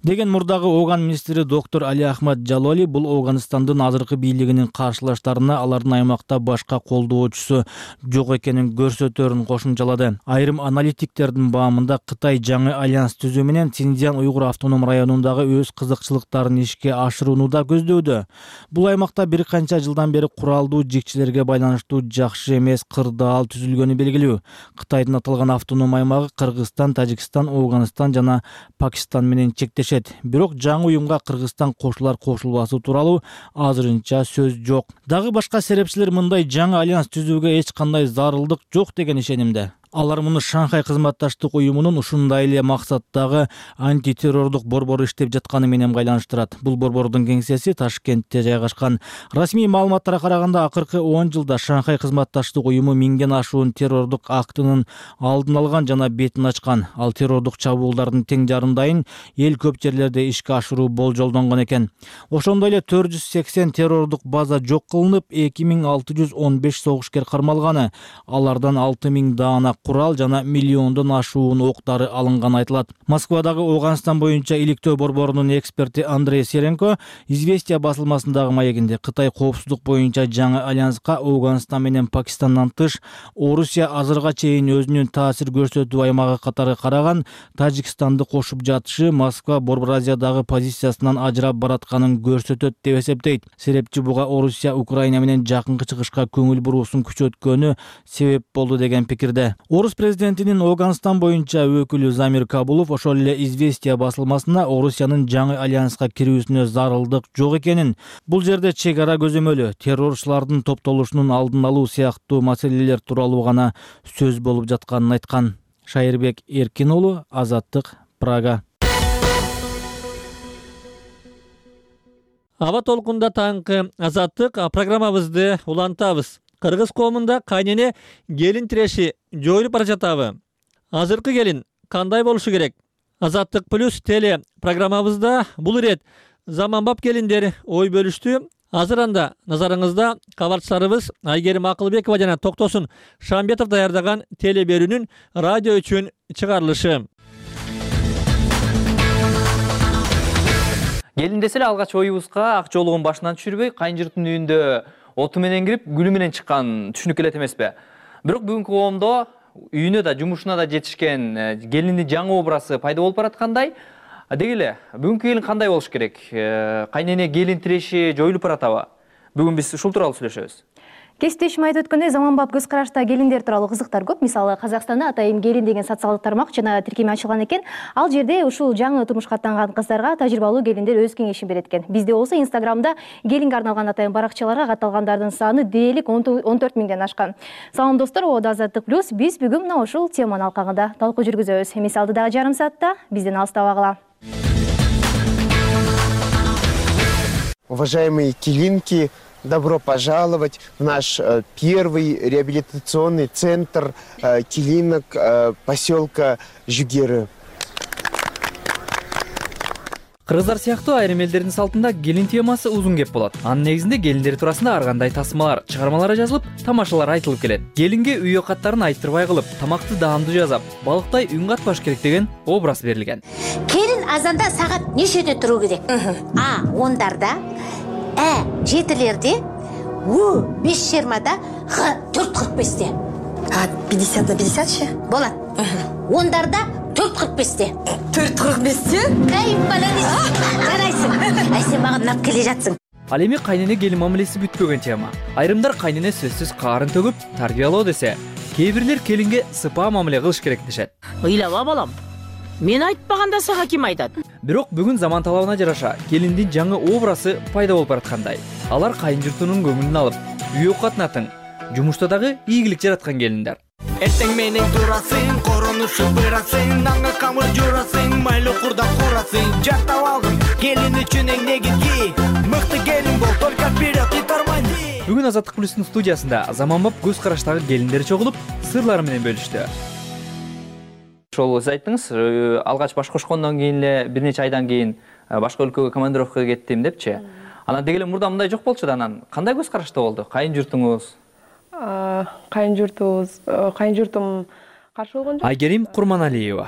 Деген мурдагы Ооган министри доктор Али Ахмад Жалоли бул Ооганстандын азыркы бийлигинин каршылаштарына алардын аймакта башка колдоочусу жок экенин көрсөтөрүн кошумчалады. Айрым аналитиктердин баамында Кытай жаңы альянс түзүү менен Синьцзян уйгур автоном районундагы өз кызыкчылыктарын ишке ашырууну да көздөдү. Бул аймакта бир канча жылдан бери куралдуу жикчилерге байланыштуу жакшы эмес кырдаал түзүлгөнү белгилүү. Кытайдын аталган автоном аймагы Кыргызстан, Тажикстан, Ооганстан жана Пакистан менен чектешет. Бирок жаңы уюмга Кыргызстан кошулар кошулбасы тууралуу азырынча сөз жок. Дагы башка серепчилер мындай жаңы альянс түзүүгө эч кандай зарылдык жок деген ишенимде. Алар муну Шанхай кызматташтык уюмунун ушундай эле максаттагы антитеррордук борбору иштеп жатканы менен байланыштырат. Бул борбордун кеңсеси Ташкентте жайгашкан. Расмий маалыматтарга караганда акыркы он жылда Шанхай кызматташтык уюму миңден ашуун террордук актынын алдын алган жана бетин ачкан. Ал террордук чабуулдардын тең жарымдайын эл көп жерлерде ишке ашыруу болжолдонгон экен. Ошондой эле төрт жүз сексен террордук база жок кылынып, эки миң алты жүз он беш согушкер кармалганы. Алардан алты миң даана курал жана миллиондон ашуун октары алынганы айтылат. Москвадагы Ооганстан боюнча иликтөө борборунун эксперти Андрей Серенко Известия басылмасындагы маегинде Кытай коопсуздук боюнча жаңы альянска Ооганстан менен Пакистандан тыш Орусия азырга чейин өзүнүн таасир көрсөтүү аймагы катары караган Тажикстанды кошуп жатышы Москва Борбор Азиядагы позициясынан ажырап баратканын көрсөтөт деп эсептейт. Серепчи буга Орусия Украина менен жакынкы чыгышка көңүл буруусун күчөткөнү себеп болду деген пикирде. Орус президентинин Ооганстан боюнча өкүлү Замир Кабулов ошол эле Известия басылмасына Орусиянын жаңы альянска кирүүсүнө зарылдык жок экенин, бул жерде чек ара көзөмөлү, террорчулардын топтолушунун алдын алуу сыяктуу маселелер тууралуу гана сөз болуп жатканын айткан. Шайырбек Эркин уулу, Азаттык, Прага. Аба толкунда таңкы Азаттык программабызды улантабыз. Кыргыз коомунда кайнене келин тиреши жоюлуп бара жатабы? Азыркы келин кандай болушу керек? Азаттык плюс теле программабызда бул ирет заманбап келиндер ой бөлүштү. Азыр анда назарыңызда кабарчыларыбыз Айгерим Акылбекова жана Токтосун Шамбетов даярдаган теле берүүнүн радио үчүн чыгарылышы. Келин десе эле алгач оюбузга ак жоолугун башынан түшүрбөй, кайын-журттун үйүндө оту менен кирип, гүлү менен чыккан түшүнүк элет эмеспи? Бирок бүгүнкү коомдо үйүнө да, жумушуна да жетишкен келиндин жаңы образы пайда болуп бараткандай. Деги эле, бүгүнкү келин кандай болуш керек? Кайнене келин тиреши жоюлуп баратабы? Бүгүн биз ушул тууралуу сүйлөшөбүз. Кесиптешим айтып өткөндөй, заманбап көз карашта келиндер тууралуу кызыктар көп. Мисалы, Казакстанда Атайым келин деген социалдык тармак жана тиркеме ачылган экен. Ал жерде ушул жаңы турмушка аттанган кыздарга тажрыйбалуу келиндер өз кеңешин берет экен. Бизде болсо Инстаграмда келинге арналган Атайым баракчаларга катталгандардын саны дээрлик он төрт миңден ашкан. Салам достор, Оодо Азаттык плюс биз бүгүн мына ушул теманын алкагында талкуу жүргүзөбүз. Эмес алдыдагы жарым саатта бизден алыстабагыла. Уважаемые келинки, добро пожаловать в наш э, первый реабилитационный центр э, келинок э, поселка Жүгері. Кыргыздар сыяктуу айрым элдердин салтында келин темасы узун кеп болот. Анын негизинде келиндер туурасында ар кандай тасмалар, чыгармалар жазылып, тамашалар айтылып келет. Келинге үй окаттарын айттырбай кылып, тамакты даамдуу жасап, балыктай үн катпаш керек деген образ берилген. Келин азанда сагат нечеде туруу керек? А ондарда, Э жетилерде, У беш жыйырмада, Х төрт кырк беште. А пятьдесят на пятьдесятчы? Болот. Ондарда төрт кырк беште. төрт кырк беште? Ай, молодец. Жарайсың. Ай, сен мага нап келе жатсың. Ал эми кайнене келин мамилеси бүтпөгөн тема. Айрымдар кайнене сөзсүз каарын төгүп, тарбиялоо десе, кээ бирлер келинге сыпаа мамиле кылыш керек дешет. Ыйлаба балам. Мен айтпаганда сага ким айтат? Бирок бүгүн заман талабына жараша келиндин жаңы образы пайда болуп бараткандай. Алар кайын журтунун көңүлүн алып, үй окатынатын, жумушта дагы ийгилик жараткан келиндер. Эртең менен турасың, коронушуп бырасың, наңга камыр журасың, майлы курда курасың. Жактап алдым келин үчүн эң негизги, мыкты келин бол, только вперед и тормози. Бүгүн Азаттык плюстун студиясында заманбап көз караштагы келиндер чогулуп, сырлары менен бөлүштү. Ошол сиз айттыңыз, алгач баш кошкондон кийин эле бир нече айдан кийин башка өлкөгө командировкага кеттим депчи. Анан деги эле мурда мындай жок болчу да, анан кандай көз карашта болду? Кайын журтуңуз? Кайын журтубуз, кайын журтум каршы болгон жок. Айгерим Курманалиева.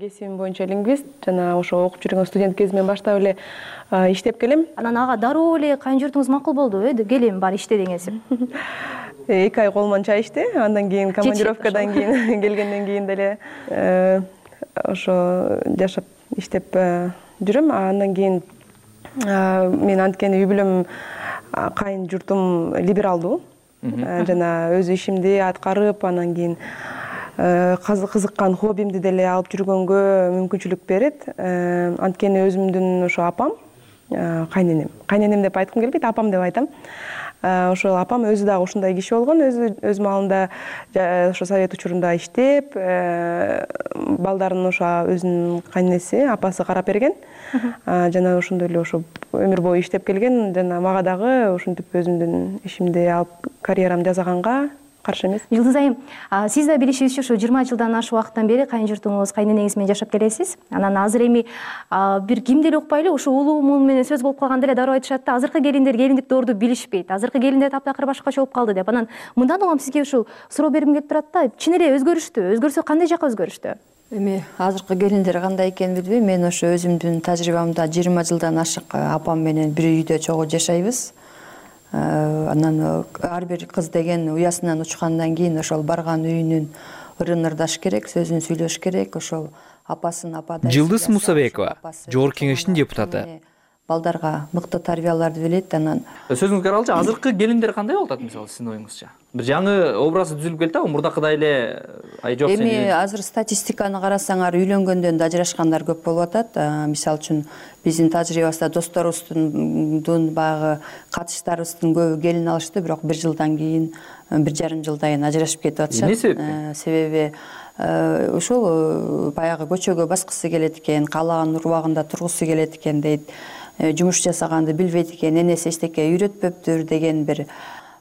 Кесибим боюнча лингвист, жана ошо окуп жүргөн студент кезимден баштап эле иштеп келем. Анан ага дароо эле кайын журтуңуз макул болду, э, келем бар иште деңиз. эки ай колмон чай ичти, андан кийин командировкадан кийин келгенден кийин деле ошо жашап иштеп жүрөм. Андан кийин мен анткени үй бүлөм кайын журтум либералдуу жана өз ишимди аткарып, анан кийин кызыккан хоббимди деле алып жүргөнгө мүмкүнчүлүк берет. Анткени өзүмдүн ошо апам кайненем кайненем деп айткым келбейт, апам деп айтам. Ошол апам өзү дагы ушундай киши болгон, өзү өз маалында ошо совет учурунда иштеп, балдарын ошо өзүнүн кайненеси, апасы карап берген. Жана ошондой эле ошо өмүр бою иштеп келген. Жана мага дагы ушинтип өзүмдүн ишимди алып карьерамды жасаганга каршы эмес. Жылдыз айым, сиз да билишибизче ушу жыйырма жылдан ашык убакыттан бери кайынжуртуңуз, кайненеңиз менен жашап келесиз. Анан азыр эми бир кимди эле укпай эле ушу улуу мул менен сөз болуп калганда эле дароо айтышат да, азыркы келиндер келиндик доорду билишпейт, азыркы келиндер таптакыр башкача болуп калды деп. Анан мындан улам сизге ушул суроо бергим келип турат да, чын эле өзгөрүштү, өзгөрсө кандай жакка өзгөрүштү? Эми азыркы келиндер кандай экенин билбейм, мен ошо өзүмдүн тажрыйбамда жыйырма жылдан ашык апам менен бир үйдө чогуу жашайбыз. Анан ар бир кыз деген уясынан учкандан кийин ошол барган үйүнүн ырын ырдаш керек, сөзүн сүйлөш керек. Ошол апасын ападай. Жылдыз Мусабекова, Жогорку Кеңештин депутаты. Балдарга мыкты тарбияларды билет. Анан сөзүңүзгө каралчы, азыркы келиндер кандай болуп атат мисалы сиздин оюңузча? Бир жаңы образ түзүлүп келди да, мурдакыдай эле ай жок сени. Эми азыр статистиканы карасаңар, үйлөнгөндөн да ажырашкандар көп болуп атат. Мисалы үчүн биздин тажрыйбабызда досторубуздун багы катыштарыбыздын көбү келин алышты, бирок бир жылдан кийин, бир жарым жылдан кийин ажырашып кетип атышат. Эмне себептен? Себеби ушул баягы көчөгө баскысы келет экен, каалаган урбагында тургусу келет экен дейт. Жумуш жасаганды билбейт экен, энеси эчтеке үйрөтпөптүр деген бир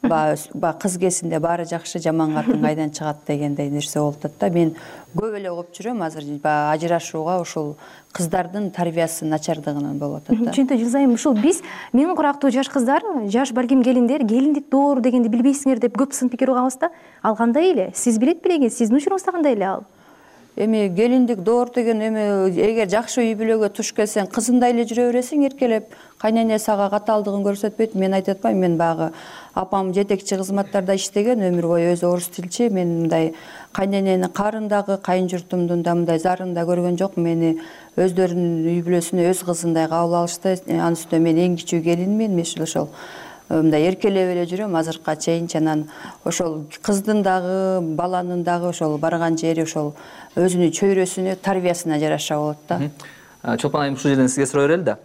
баягы кыз кезинде баары жакшы, жаман катын кайдан чыгат дегендей нерсе болуп атат да. Мен көп эле угуп жүрөм азыр баягы ажырашууга ушул кыздардын тарбиясы начардыгынан болуп атат да. Чынтө Жылзайым, ушул биз менин курактуу жаш кыздар, жаш балким келиндер келиндик доор дегенди билбейсиңер деп көп сын пикир угабыз да. Ал кандай эле? Сиз билет белеңиз, сиздин учуруңузда кандай эле ал? Эми келиндик доор деген эми эгер жакшы үй бүлөгө туш келсең, кызындай эле жүрө бересиң эркелеп. Кайнене сага катаалдыгын көрсөтпөйт. Мен айтып атпайм, мен багы апам жетекчи кызматтарда иштеген, өмүр бою өзү орус тилчи. Мен мындай кайненени карындагы, кайынжуртумдун да мындай зарын да көргөн жок. Мени өздөрүнүн үй бүлөсүнө өз кызындай кабыл алышты. Анын үстүнө мен эң кичүү келинмин. Мен ошол мындай эркелеп эле жүрөм азыркыга чейин. Анан ошол кыздын дагы, баланын дагы ошол барган жери ошол өзүнүн чөйрөсүнө, тарбиясына жараша болот да. Чолпон айым, ушул жерден сизге суроо берели да.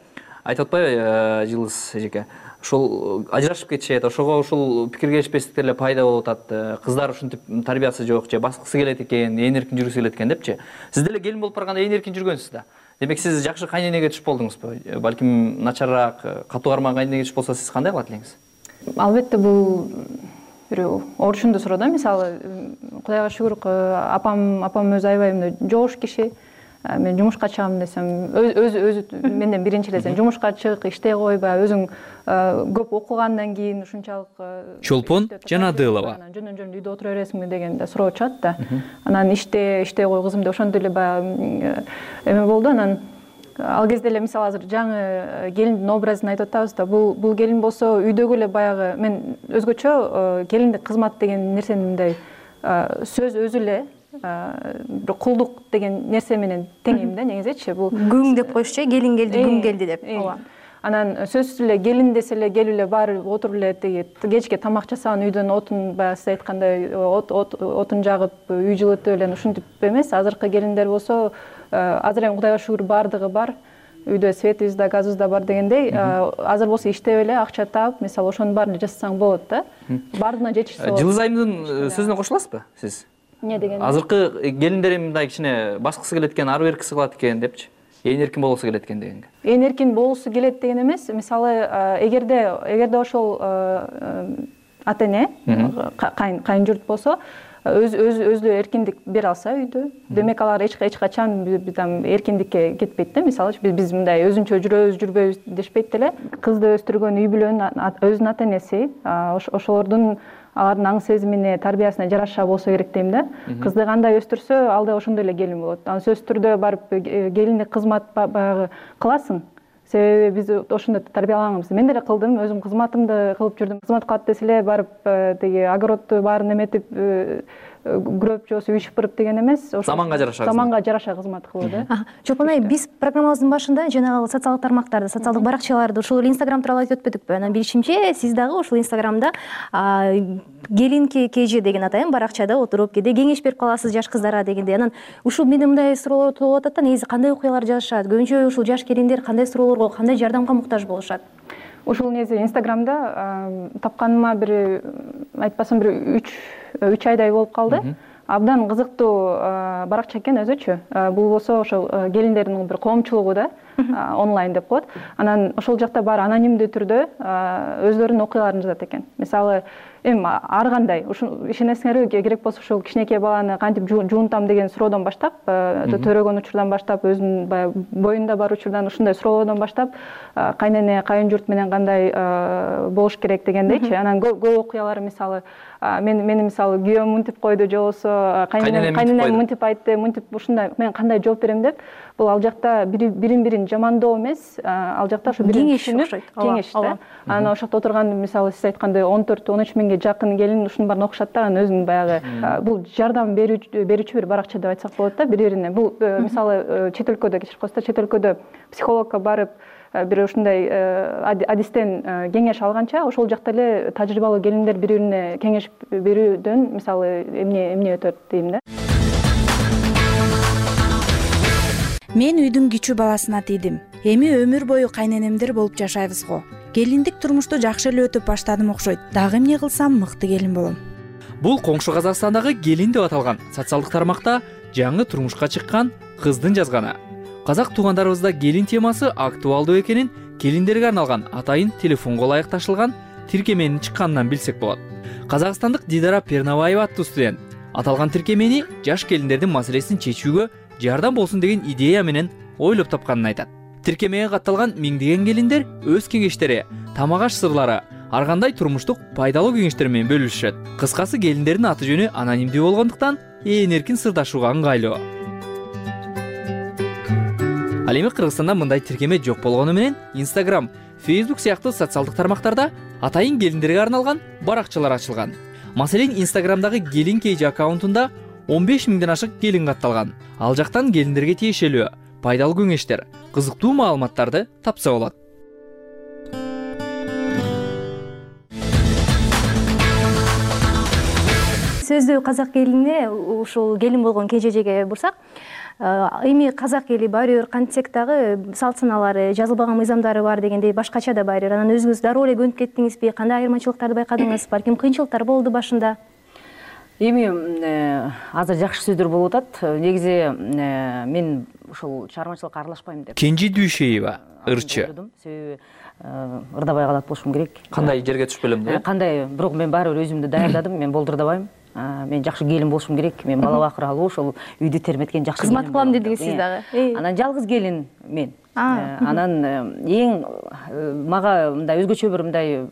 Айтып атпайбы Жылдыз эжеке? Ошол ажырашып кетишет, ошого ушул пикир келишпестиктер эле пайда болуп атат. Кыздар ушинтип тарбиясы жок же баскысы келет экен, ээн эркин жүргүсү келет экен депчи. Сиз деле келин болуп барганда ээн эркин жүргөнсүз да. Демек сиз жакшы кайненеге түшүп болдуңузбу? Балким начарраак, катуу кармаган кайненеге түшүп болсо сиз кандай кылат элеңиз? Албетте бул бир орчундуу суроо да. Мисалы, Кудайга шүгүр, апам апам өзү аябай мындай жоош киши. Мен жумушка чыгам десем, өзү өзү менден биринчи эле сен жумушка чык, иштей кой, баягы өзүң көп окугандан кийин ушунчалык Чолпон Жанадылова. Жөн-жөн үйдө отура бересиңби деген да суроо чыгат да. Анан иште, иштей кой кызым деп ошондой эле баягы эме болду. Анан ал кезде эле мисалы азыр жаңы келиндин образын айтып атабыз да. Бул бул келин болсо үйдөгү эле баягы мен өзгөчө келиндик кызмат деген нерсени мындай сөз өзү эле бир кулдук деген нерсе менен теңейм да негизичи. Бул күң деп коюшчу, келин келди, күң келди деп. Ооба. Анан сөзсүз эле келин десе эле келип эле баары отуруп эле тиги кечке тамак жасаган үйдөн отун баягы сиз айткандай отун жагып, үй жылытып эле ушинтип эмес. Азыркы келиндер болсо азыр эми Кудайга шүгүр баардыгы бар. Үйдө светибиз да, газыбыз да бар дегендей, азыр болсо иштеп эле акча таап, мисалы ошонун баарын жасасаң болот да. Баардыгына жетишсе болот. Жылдыз айымдын сөзүнө кошуласызбы сиз? Не деген? Азыркы келиндер мындай кичине баскысы келет экен, ары беркиси кылат экен депчи. Ээн эркин болгусу келет экен дегенге. Ээн эркин болгусу келет деген эмес. Мисалы, эгерде эгерде ошол ата эне, кайын журт болсо, өз өз өзү эркиндик бере алса үйдө, демек алар эч качан бизден эркиндикке кетпейт да. Мисалы, биз биз мындай өзүнчө жүрөбүз, жүрбөйбүз дешпейт деле. Кызды өстүргөн үй бүлөнүн өзүнүн ата энеси, ошолордун алардын аң сезимине, тарбиясына жараша болсо керек дейм да. Кызды кандай өстүрсө, ал да ошондой эле келин болот. Анан сөзсүз түрдө барып келиндик кызмат баягы кыласың. Себеби биз ошондой тарбиялаганбыз. Мен деле кылдым, өзүм кызматымды кылып жүрдүм. Кызмат кылат десе эле барып тиги огородду баарын эметип, күрөп же болбосо үй шыпырып деген эмес, ошо заманга жараша заманга жараша кызмат кылуу да. Чолпон айым, биз программабыздын башында жанагы социалдык тармактарды, социалдык баракчаларды, ушул Инстаграм тууралуу айтып өтпөдүкпү? Анан билишимче, сиз дагы ушул Инстаграмда келин кж деген атайын баракчада отуруп, кээде кеңеш берип каласыз жаш кыздарга дегендей. Анан ушул менде мындай суроолор туулуп атат да, негизи кандай окуялар жазышат? Көбүнчө ушул жаш келиндер кандай суроолорго, кандай жардамга муктаж болушат? Ушул негизи Инстаграмда тапканыма бир айтпасам бир үч үч айдай болуп калды. Абдан кызыктуу баракча экен өзүчө. Бул болсо ошол келиндердин бир коомчулугу да, онлайн деп коет. Анан ошол жакта баары анонимдүү түрдө өздөрүнүн окуяларын жазат экен. Мисалы, эми ар кандай, ушун ишенесиңерби, керек болсо ушул кичинекей баланы кантип жуунтам деген суроодон баштап, төрөгөн учурдан баштап, өзүнүн баягы боюнда бар учурдан ушундай суроолордон баштап, кайнене, кайын журт менен кандай болуш керек дегендейчи. Анан көп окуялары, мисалы, мен мени мисалы күйөөм мынтип койду, же болбосо кайненем мынтип айтты, мынтип ушундай, мен кандай жооп берем деп, бул ал жакта бирин-бирин жамандоо эмес, ал жакта ушу бирин түшүнүп, кеңеш да. Анан ошол жакта отурган, мисалы, сиз айткандай он төрт он үч миңге жакын келин ушунун баарын окушат да, анан өзүнүн баягы бул жардам берүүчү бир баракча деп айтсак болот да, бири-бирине. Бул мисалы чет өлкөдө, кечирип коесуздар, чет өлкөдө психологко барып бир ушундай адистен кеңеш алганча, ошол жакта эле тажрыйбалуу келиндер бири-бирине кеңеш берүүдөн мисалы эмне эмне өтөт дейм да. Мен үйдүн кичүү баласына тийдим. Эми өмүр бою кайненемдер болуп жашайбыз го. Келиндик турмушту жакшы эле өтүп баштадым окшойт. Дагы эмне кылсам мыкты келин болом. Бул коңшу Казакстандагы келин деп аталган социалдык тармакта жаңы турмушка чыккан кыздын жазганы. Казак туугандарыбызда келин темасы актуалдуу экенин келиндерге арналган атайын телефонго ылайык ташылган тиркеменин чыкканынан билсек болот. Казакстандык Дидара Пернабаева аттуу студент аталган тиркемени жаш келиндердин маселесин чечүүгө жардам болсун деген идея менен ойлоп тапканын айтат. Тиркемеге катталган миңдеген келиндер өз кеңештери, тамак аш сырлары, ар кандай турмуштук пайдалуу кеңештер менен бөлүшөт. Кыскасы, келиндердин аты жөнү анонимдүү болгондуктан ээн эркин сырдашууга ыңгайлуу. Ал эми Кыргызстанда мындай тиркеме жок болгону менен Instagram, Facebook сыяктуу социалдык тармактарда атайын келиндерге арналган баракчалар ачылган. Маселен, Instagramдагы келин кейжи аккаунтунда он беш миңден ашык келин катталган. Ал жактан келиндерге тиешелүү пайдалуу кеңештер, кызыктуу маалыматтарды тапса болот. Сөздүү казак келине, ушул келин болгон кежежеге бурсак, эми казак эли баары бир кантсек дагы салт саналары, жазылбаган мыйзамдары бар дегендей башкача да баары. Анан өзүңүз дароо эле көнүп кеттиңизби? Кандай айырмачылыктарды байкадыңыз? Балким кыйынчылыктар болду башында? Эми азыр жакшы сөздөр болуп атат. Негизи мен ушул чыгармачылыкка аралашпайм деп. Кенжи Дүйшеева, ырчы. Себеби ырдабай калат болушум керек. Кандай жерге түшүп элем да? Кандай, бирок мен баары бир өзүмдү даярдадым, мен болдурдабайм. Мен жакшы келин болушум керек, мен бала бакыралуу, ошол үйдү терметкен жакшы кызмат кылам дедиңиз сиз дагы. Анан жалгыз келин мен. Анан эң мага мындай өзгөчө бир мындай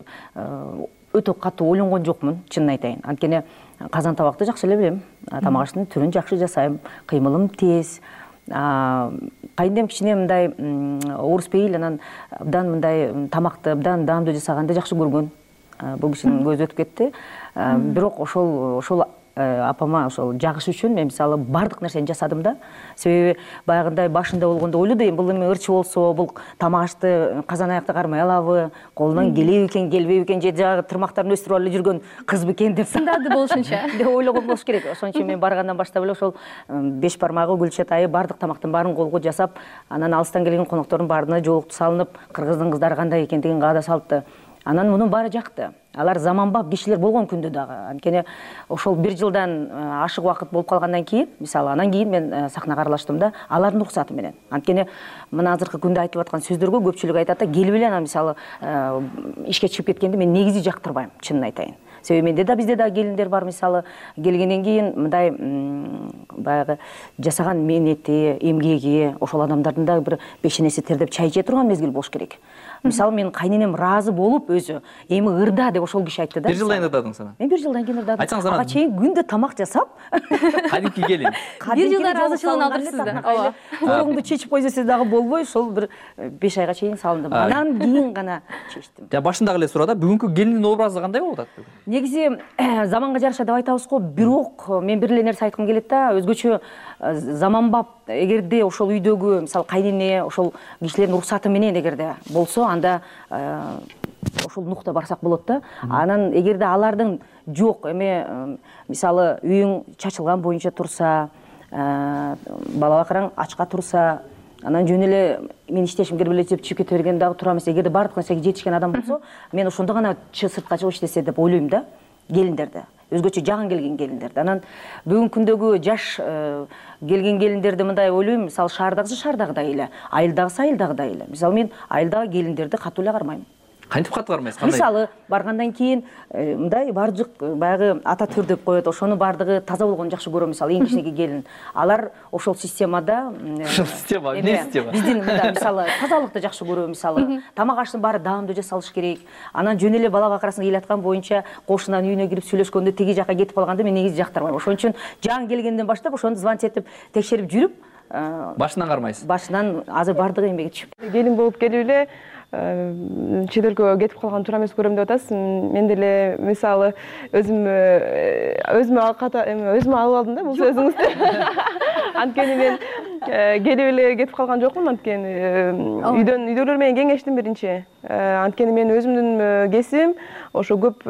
өтө катуу ойлонгон жокмун, чынын айтайын. Анткени казан табакты жакшы эле билем, тамак аштын түрүн жакшы жасайм, кыймылым тез. Кайненем кичине мындай орус пейил, анан абдан мындай тамакты абдан даамдуу жасаганды жакшы көргөн. Бул кишинин көзү өтүп кетти. Бирок ошол ошол апама ошол жагыш үчүн мен мисалы бардык нерсени жасадым да. Себеби баягындай башында болгондо ойлоду эми бул эми ырчы болсо, бул тамак ашты казан аякты кармай алабы, колунан келеби экен, келбейби экен, же жагы тырмактарын өстүрүп алып жүргөн кыз бекен деп сындады болушунча деп ойлогон болуш керек. Ошон үчүн мен баргандан баштап эле ошол беш бармагы, гүл чатайы бардык тамактын баарын колго жасап, анан алыстан келген коноктордун баарына жоолукту салынып, кыргыздын кыздары кандай экендигин каада салыпты. Анан мунун баары жакты. Алар заманбап кишилер болгон күндө дагы. Анткени ошол бир жылдан ашык убакыт болуп калгандан кийин, мисалы, анан кийин мен сахнага аралаштым да, алардын уруксаты менен. Анткени мына азыркы күндө айтып аткан сөздөргө көпчүлүк айтат да, келип эле анан мисалы ишке чыгып кеткенди мен негизи жактырбайм, чынын айтайын. Себеби менде да бизде да келиндер бар, мисалы, келгенден кийин мындай баягы жасаган мээнети, эмгеги, ошол адамдардын да бир бешенеси тердеп чай иче турган мезгил болуш керек. Мисалы, мен кайненем ыраазы болуп өзү, эми ырда деп ошол киши айтты да. Бир жылдан кийин ырдадың сен? Мен бир жылдан кийин ырдадым. Айтсаңыз анан. Ага чейин күндө тамак жасап, кадимки келин. Бир жылда разычылыгын алдырыпсыз да. Ооба. Коруңду чечип кой десе дагы болбой, ошол бир беш айга чейин салындым. Анан кийин гана чечтим. Жа башындагы эле суроодо бүгүнкү келиндин образы кандай болуп атат бүгүн? негизи заманга жараша деп айтабыз го, бирок мен бир эле нерсе айткым келет да, өзгөчө заманбап эгерде ошол үйдөгү мисалы кайнене ошол кишилердин уруксаты менен эгерде болсо, анда ошол нукта барсак болот да. Анан эгерде алардын жок, эме мисалы үйүң чачылган боюнча турса, бала бакыраң ачка турса, анан жөн эле мен иштешим керек эле деп чыгып кете берген дагы туура эмес. Эгерде баардык нерсеге жетишкен адам болсо, мен ошондо гана сыртка чыгып иштесе деп ойлойм да, келиндерди. Өзгөчө жагын келген келиндерди. Анан бүгүнкү күндөгү жаш келген келиндерди мындай ойлойм, мисалы шаардагысы шаардагыдай эле, айылдагысы айылдагыдай эле. Мисалы мен айылдагы келиндерди катуу эле кармайм. Кантип катуу кармайсыз? Кандай? Мисалы баргандан кийин мындай бардык баягы ата төр деп коет, ошонун бардыгы таза болгонун жакшы көрөм. Мисалы эң кичинекей келин, алар ошол системада, ошол система, эмне система? Биздин мында мисалы тазалыкты жакшы көрөм, мисалы тамак аштын баары даамдуу жасалыш керек. Анан жөн эле бала бакырасың ыйлаткан боюнча кошунан үйүнө кирип сүйлөшкөндө теги жака кетип калганды мен негизи жактырбайм. Ошон үчүн жаңы келгенден баштап ошону звонить этип текшерип жүрүп, башынан кармайсыз. Башынан азыр бардыгы эмгеге түшүп. Келин болуп келип эле чет өлкөгө кетип калган туура эмес көрөм деп атасыз. Мен деле мисалы өзүм өзүмө өзүмө алып алдым да бул сөзүңүздү. Анткени мен келип эле кетип калган жокмун, анткени үйдөн үйдөгүлөр менен кеңештим биринчи. Анткени мен өзүмдүн кесибим ошо көп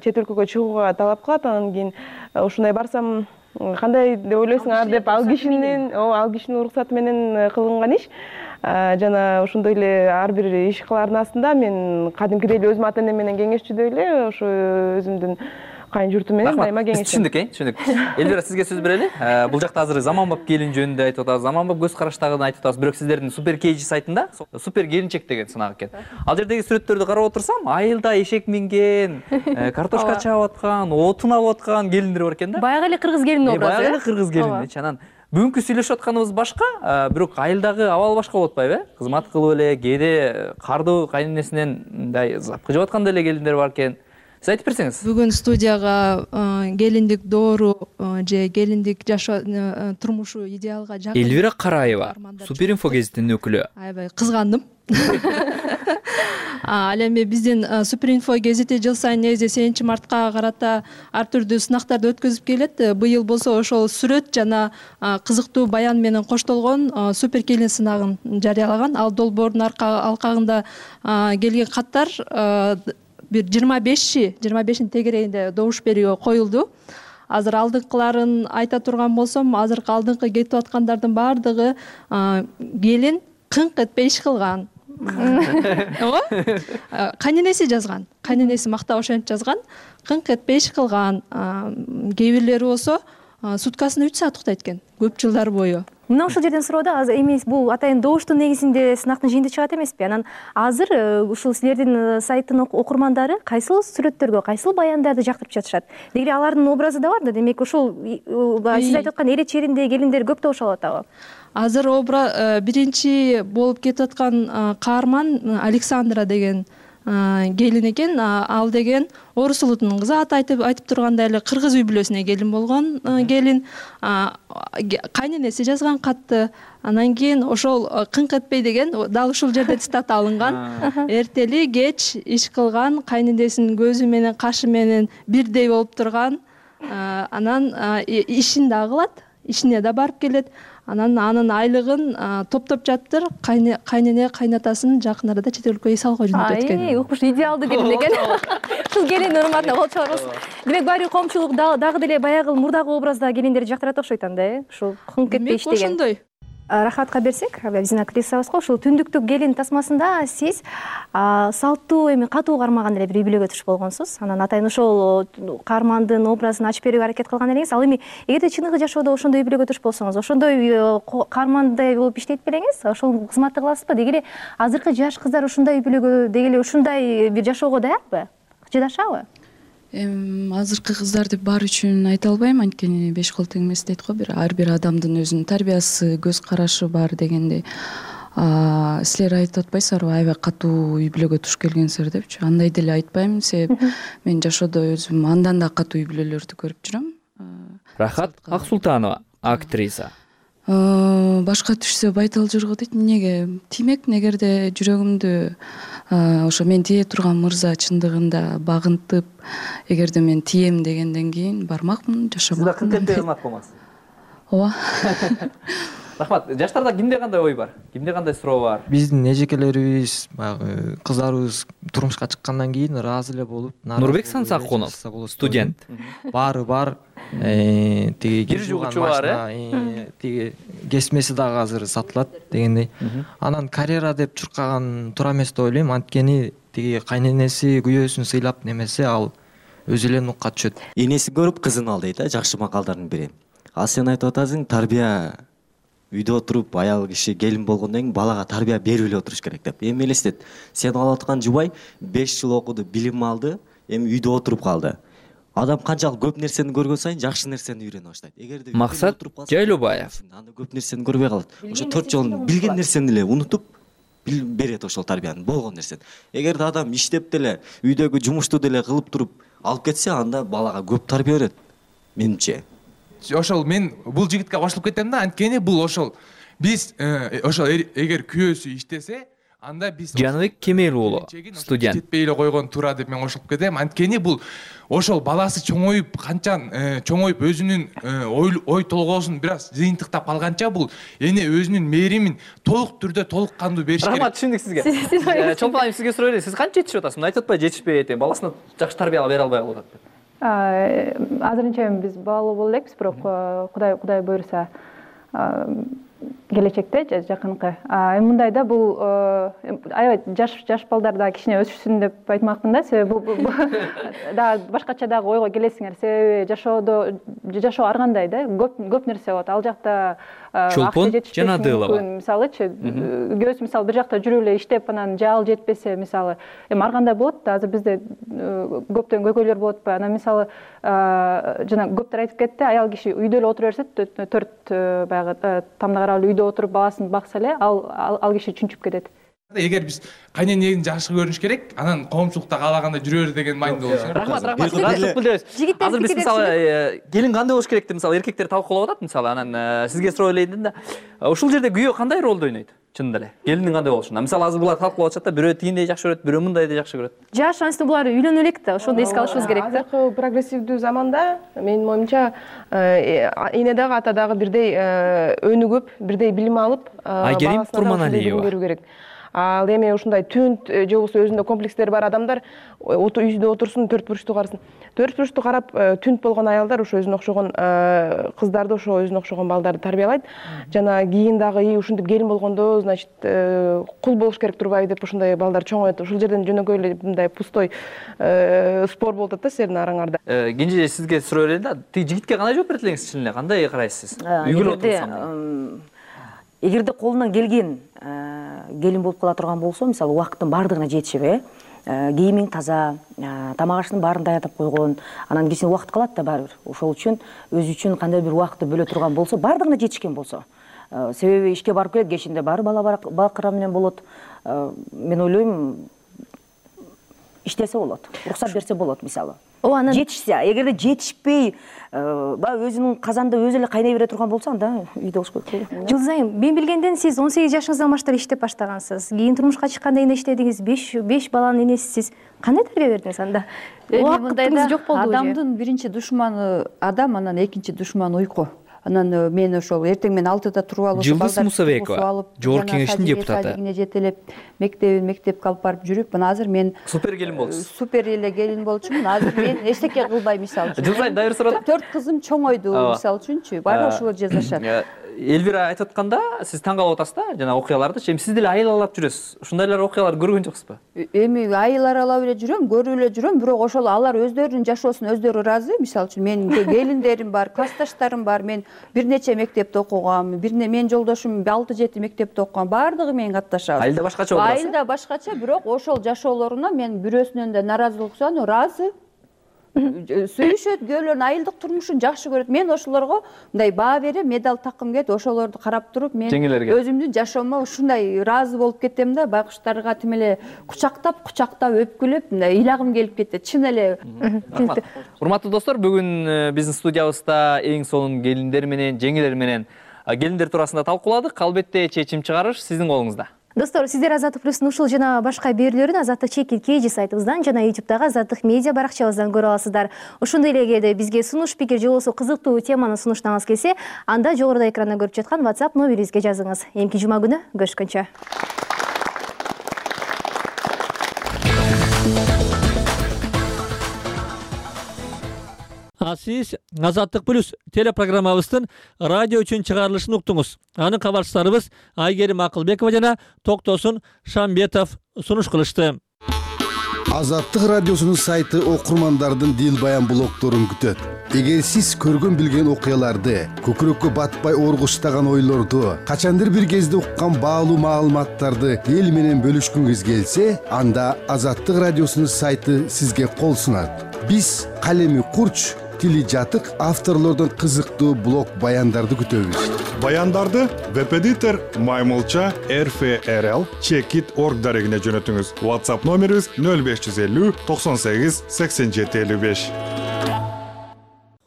чет өлкөгө чыгууга талап кылат. Анан кийин ушундай барсам кандай деп ойлойсуңар деп ал кишинин ал кишинин уруксаты менен кылынган иш. Жана ошондой эле ар бир иш кылаардын астында мен кадимкидей эле өзүм ата энем менен кеңешчүдөй эле ошо өзүмдүн кайын журтум менен дайыма кеңештим. Түшүндүк, э, түшүндүк. Элвира, сизге сөз берели. Бул жакта азыр заманбап келин жөнүндө айтып атабыз, заманбап көз караштагын айтып атабыз. Бирок сиздердин Супер Кейджи сайтында супер келинчек деген сынак экен. Ал жердеги сүрөттөрдү карап отурсам, айылда эшек минген, картошка чаап аткан, отун алып аткан келиндер бар экен да. Баягы эле кыргыз келини образы. Баягы эле кыргыз келини. Анан бүгүнкү сүйлөшүп атканыбыз башка, бирок айылдагы абал башка болуп атпайбы, э? Кызмат кылып эле, кээде кардуу кайненесинен мындай запкы жеп аткан деле келиндер бар экен. Сиз айтып берсеңиз. Бүгүн студияга келиндик доору же келиндик жашоо турмушу идеалга жакын Элвира Караева, Суперинфо гезитинин өкүлү. Аябай кызгандым. Ал эми биздин Суперинфо гезити жыл сайын негизи сегизинчи мартка карата ар түрдүү сынактарды өткөзүп келет. Быйыл болсо ошол сүрөт жана кызыктуу баян менен коштолгон супер келин сынагын жарыялаган. Ал долбоордун алкагында келген каттар бир жыйырма беши жыйырма бешинин тегерегинде добуш берүүгө коюлду. Азыр алдыңкыларын айта турган болсом, азыркы алдыңкы кетип аткандардын баардыгы келин кыңк этпей иш кылган. Ого? Кайненеси жазган. Кайненеси мактап ошентип жазган. Кыңк этпей иш кылган. Кээ бирлери болсо суткасына үч саат уктайт экен, көп жылдар бою. Мына ушул жерден суроо да, азыр эми бул атайын добуштун негизинде сынактын жыйынтыгы чыгат эмеспи? Анан азыр ушул силердин сайттын окурмандары кайсыл сүрөттөргө, кайсыл баяндарды жактырып жатышат? Деги алардын образы да бар да, демек ушул сиз айтып аткан эре чериндеги келиндер көп добуш алып атабы? Азыр биринчи болуп кетип аткан каарман Александра деген келин экен. Ал деген орус улутунун кызы, аты айтып айтып тургандай эле кыргыз үй бүлөсүнө келин болгон келин. Кайненеси жазган катты. Анан кийин ошол кыңк этпей деген дал ушул жерде цитата алынган. Эртели кеч иш кылган, кайненесинин көзү менен кашы менен бирдей болуп турган. Анан ишин да кылат, ишине да барып келет. Анан анын айлыгын топтоп жатыр, кайнене кайнатасын жакын арада чет өлкөгө салууга жөнөтөт экен. Ай, укмуш идеалдуу келин экен. Ушул келин урматына кол чабыңыз. Демек баары коомчулук дагы деле баягы мурдагы образда келиндерди жактырат окшойт анда, э? Ушул кыңк этпей иш деген. Ошондой. Рахатка берсек, биздин актрисабыз го, ушул түндүктүк келин тасмасында сиз салттуу эми катуу кармаган эле бир үй бүлөгө туш болгонсуз. Анан атайын ошол каармандын образын ачып берүүгө аракет кылган элеңиз. Ал эми эгерде чыныгы жашоодо ошондой үй бүлөгө туш болсоңуз, ошондой каармандай болуп иштейт белеңиз, ошол кызматты кыласызбы? Деги эле азыркы жаш кыздар ушундай үй бүлөгө, деги эле ушундай бир жашоого даярбы? Жыдашабы? Эми азыркы кыздар деп баары үчүн айта албайм, анткени беш кол тең эмес дейт го, бир ар бир адамдын өзүнүн тарбиясы, көз карашы бар дегендей. Силер айтып атпайсыздарбы, аябай катуу үй бүлөгө туш келгенсиздер депчи? Андай деле айтпайм, себеп мен жашоодо өзүм андан да катуу үй бүлөлөрдү көрүп жүрөм. Рахат Аксултанова, актриса. Башка түшсө байтал жыргы дейт. Неге тимек, негерде жүрөгүмдү ошо мен тие турган мырза чындыгында багынтып, эгерде мен тием дегенден кийин бармакмын, жашамакмын. Сиз кантип кызмат кылмаксыз? Ооба. Рахмат. Жаштарда кимде кандай ой бар? Кимде кандай суроо бар? Биздин эжекелерибиз, баягы кыздарыбыз турмушка чыккандан кийин ыраазы эле болуп, Нурбек Сансакунов, студент. Баары бар. Тиги Бир жугучу бар, тиги кесмеси дагы азыр сатылат дегендей. Анан карьера деп чуркаган туура эмес деп ойлойм. Анткени тиги кайненеси күйөөсүн сыйлап немесе ал өзү эле нукка түшөт. Энесин көрүп кызын ал дейт, жакшы макалдардын бири. Ал сен айтып атасың, тарбия үйдө отуруп аял киши келин болгондон кийин балага тарбия берип эле отуруш керек деп. Эми элестет, сен алып аткан жубай беш жыл окуду, билим алды, эми үйдө отуруп калды. Адам канчалык көп нерсени көргөн сайын жакшы нерсени үйрөнө баштайт. Эгерде Максат Жайлообаев анда көп нерсени көрбөй калат. Ошо төрт жолун билген нерсени эле унутуп берет ошол тарбияны, болгон нерсени. Эгерде адам иштеп деле, үйдөгү жумушту деле кылып туруп алып кетсе, анда балага көп тарбия берет, менимче. Ошол мен бул жигитке кошулуп кетем да, анткени бул ошол биз ошол эгер күйөөсү иштесе, анда биз Жаныбек Кемел уулу, студент. Жетпей эле койгон туура деп мен кошулуп кетем. Анткени бул ошол баласы чоңоюп, канчан чоңоюп өзүнүн ой толгоосун бир аз жыйынтыктап калганча бул эне өзүнүн мээримин толук түрдө толук кандуу бериш керек. Рахмат, түшүндүк сизге. Чолпон айым сизге суроо эле, сиз канча жетишип атасыз? Мына айтып атпайбы, жетишпей атем, баласына жакшы тарбия бере албай калып атат деп. Азырынча биз баалуу боло элекпиз, бирок Кудай Кудай буйруса келечекте жакынкы. Эми мындай да, бул аябай жаш жаш балдар да кичине өсүшсүн деп айтмакмын да, себеби бул да башкача дагы ойго келесиңер, себеби жашоодо жашоо ар кандай да, көп көп нерсе болот. Ал жакта Чолпон Жанадылова, мисалычы, күйөөсү мисалы бир жакта жүрүп эле иштеп, анан жаал жетпесе, мисалы, эми ар кандай болот да, азыр бизде көптөн көйгөйлөр болот ба, анан мисалы жана көптөр айтып кетти, аял киши үйдө эле отура берсе, төрт баягы тамда карап үйдө отуруп баласын бакса эле, ал ал киши чүнчүп кетет. Эгер биз кайненени жакшы көрүнүш керек, анан коомчулукта каалагандай жүрө бер деген майнда болуш керек. Рахмат, рахмат. Азыр биз мисалы келин кандай болуш керек деп мисалы эркектер талкуулап атат, мисалы анан сизге суроо элейин да. Ушул жерде күйөө кандай ролду ойнойт? Чындап эле. Келиндин кандай болушуна. Мисалы азыр булар талкуулап атышат да, бирөө тигиндей жакшы көрөт, бирөө мындайдай жакшы көрөт. Жаш анысы булар үйлөнө элек да, ошондо эске алышыбыз керек да. Азыркы прогрессивдүү заманда менин оюмча эне дагы ата дагы бирдей өнүгүп, бирдей билим алып, Айгерим Турманалиева берүү керек. Ал эми ушундай түнт же болбосо өзүндө комплекстери бар адамдар үйдө отурсун, төрт бурчту карасын. Төрт бурчту карап түнт болгон аялдар ошо өзүнө окшогон кыздарды, ошо өзүнө окшогон балдарды тарбиялайт. Жана кийин дагы ушинтип келин болгондо, значит, кул болуш керек турбайбы деп ушундай балдар чоңоет. Ушул жерден жөнөкөй эле мындай пустой спор болуп атат да силердин араңарда. Кенже сизге суроо эле да, тиги жигитке кандай жооп берет элеңиз, чын эле кандай карайсыз? Үйгө отурсам. Эгерде колунан келген келин болуп кала турган болсо, мисалы убакыттын баардыгына жетишип, кийимиң таза, тамак ашынын баарын даярдап койгон, анан кичине убакыт калат да баары бир. Ошол үчүн өзү үчүн кандай бир убакытты бөлө турган болсо, баардыгына жетишкен болсо. Себеби ишке барып келет, кечинде баары бала бакыра менен болот. Мен ойлойм, иштесе болот, уруксат берсе болот мисалы. Жетишсе, эгерде жетишпей, баягы өзүнүн казанда өзү эле кайнай бере турган болсо, анда үйдө болуш керек. Жылдыз айым, мен билгенден сиз он сегиз жашыңыздан баштап иштеп баштагансыз. Кийин турмушка чыкканда эмне иштедиңиз? беш баланын энесисиз. Кандай тарбия бердиңиз анда? Убакытыңыз жок болду. Адамдын биринчи душманы адам, анан экинчи душманы уйку. Анан мен ошол эртең менен алтыда туруп алып, Жылдыз Мусабекова, Жогорку Кеңештин депутаты. Жетелеп, мектебин мектепке алып барып жүрүп, мына азыр мен супер келин болчусуз. Супер эле келин болчумун. Азыр мен эчтеке кылбайм мисалы үчүн. Жылдыз айым дайыр суроо. Төрт кызым чоңойду мисалы үчүнчү. Баары ошол жасашат. Элвира айтып атканда, сиз таң калып атасыз да, жана окуяларды. Эми сиз деле айыл аралап жүрөсүз. Ушундайлар окуялар көргөн жоксузбу? Эми айыл аралап эле жүрөм, көрүп эле жүрөм, бирок ошол алар өздөрүнүн жашоосуна өздөрү ыраазы. Мисалы үчүн менин келиндерим бар, классташтарым бар. Мен бир нече мектепте окугам, бир менин жолдошум алты жети мектепте окуган, баардыгы менен катташабыз. Айылда башкача болот. Айылда башкача, бирок ошол жашоолоруна мен бирөөсүнөн да наразылык сунам, ыраазы. Сүйүшөт, күйөөлөрүнүн айылдык турмушун жакшы көрөт. Мен ошолорго мындай баа берем, медаль таккым келет, ошолорду карап туруп мен өзүмдүн жашоомо ушундай ыраазы болуп кетем да, байкуштарга тим эле кучактап, кучактап өпкүлөп, мындай ыйлагым келип кетет. Чын эле. Урматтуу достор, бүгүн биздин студиябызда эң сонун келиндер менен, жеңелер менен келиндер туурасында талкууладык. Албетте чечим чыгарыш сиздин колуңузда. Достор, сиздер Азаттык плюстун ушул жана башка берүүлөрүн Азаттык чекит kg сайтыбыздан жана ютубтагы Азаттык медиа баракчабыздан көрө аласыздар. Ошондой эле эгерде бизге сунуш пикир же болбосо кызыктуу теманы сунуштагыңыз келсе, анда жогоруда экранда көрүп жаткан WhatsApp номерибизге жазыңыз. Эмки жума күнү көрүшкөнчө. А сиз Азаттык плюс телепрограммабыздын радио үчүн чыгарылышын уктуңуз. Анын кабарчыларыбыз Айгерим Акылбекова жана Токтосун Шамбетов сунуш кылышты. Азаттык радиосунун сайты окурмандардын дил баян блогдорун күтөт. Эгер сиз көргөн билген окуяларды, көкүрөккө батпай оргуштаган ойлорду, качандыр бир кезде уккан баалуу маалыматтарды эл менен бөлүшкүңүз келсе, анда Азаттык радиосунун сайты сизге кол сунат. Биз калеми курч, тили жатык авторлордон кызыктуу блог баяндарды күтөбүз. Баяндарды веб-эдитор Маймылча эр эф эр эл чекит точка орг дарегине жөнөтүңүз. WhatsApp номерибиз нөл беш жүз элүү токсон сегиз сексен жети элүү беш.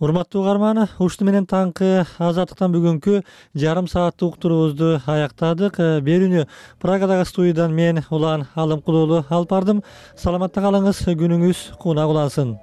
Урматтуу угарман, ушуну менен таңкы Азаттыктан бүгүнкү жарым сааттык уктуруубузду аяктадык. Берүүнү Праgadагы студиядан мен Улан Алымкулуулу алып бардым. Саламатта калыңыз, күнүңүз кунак улансын.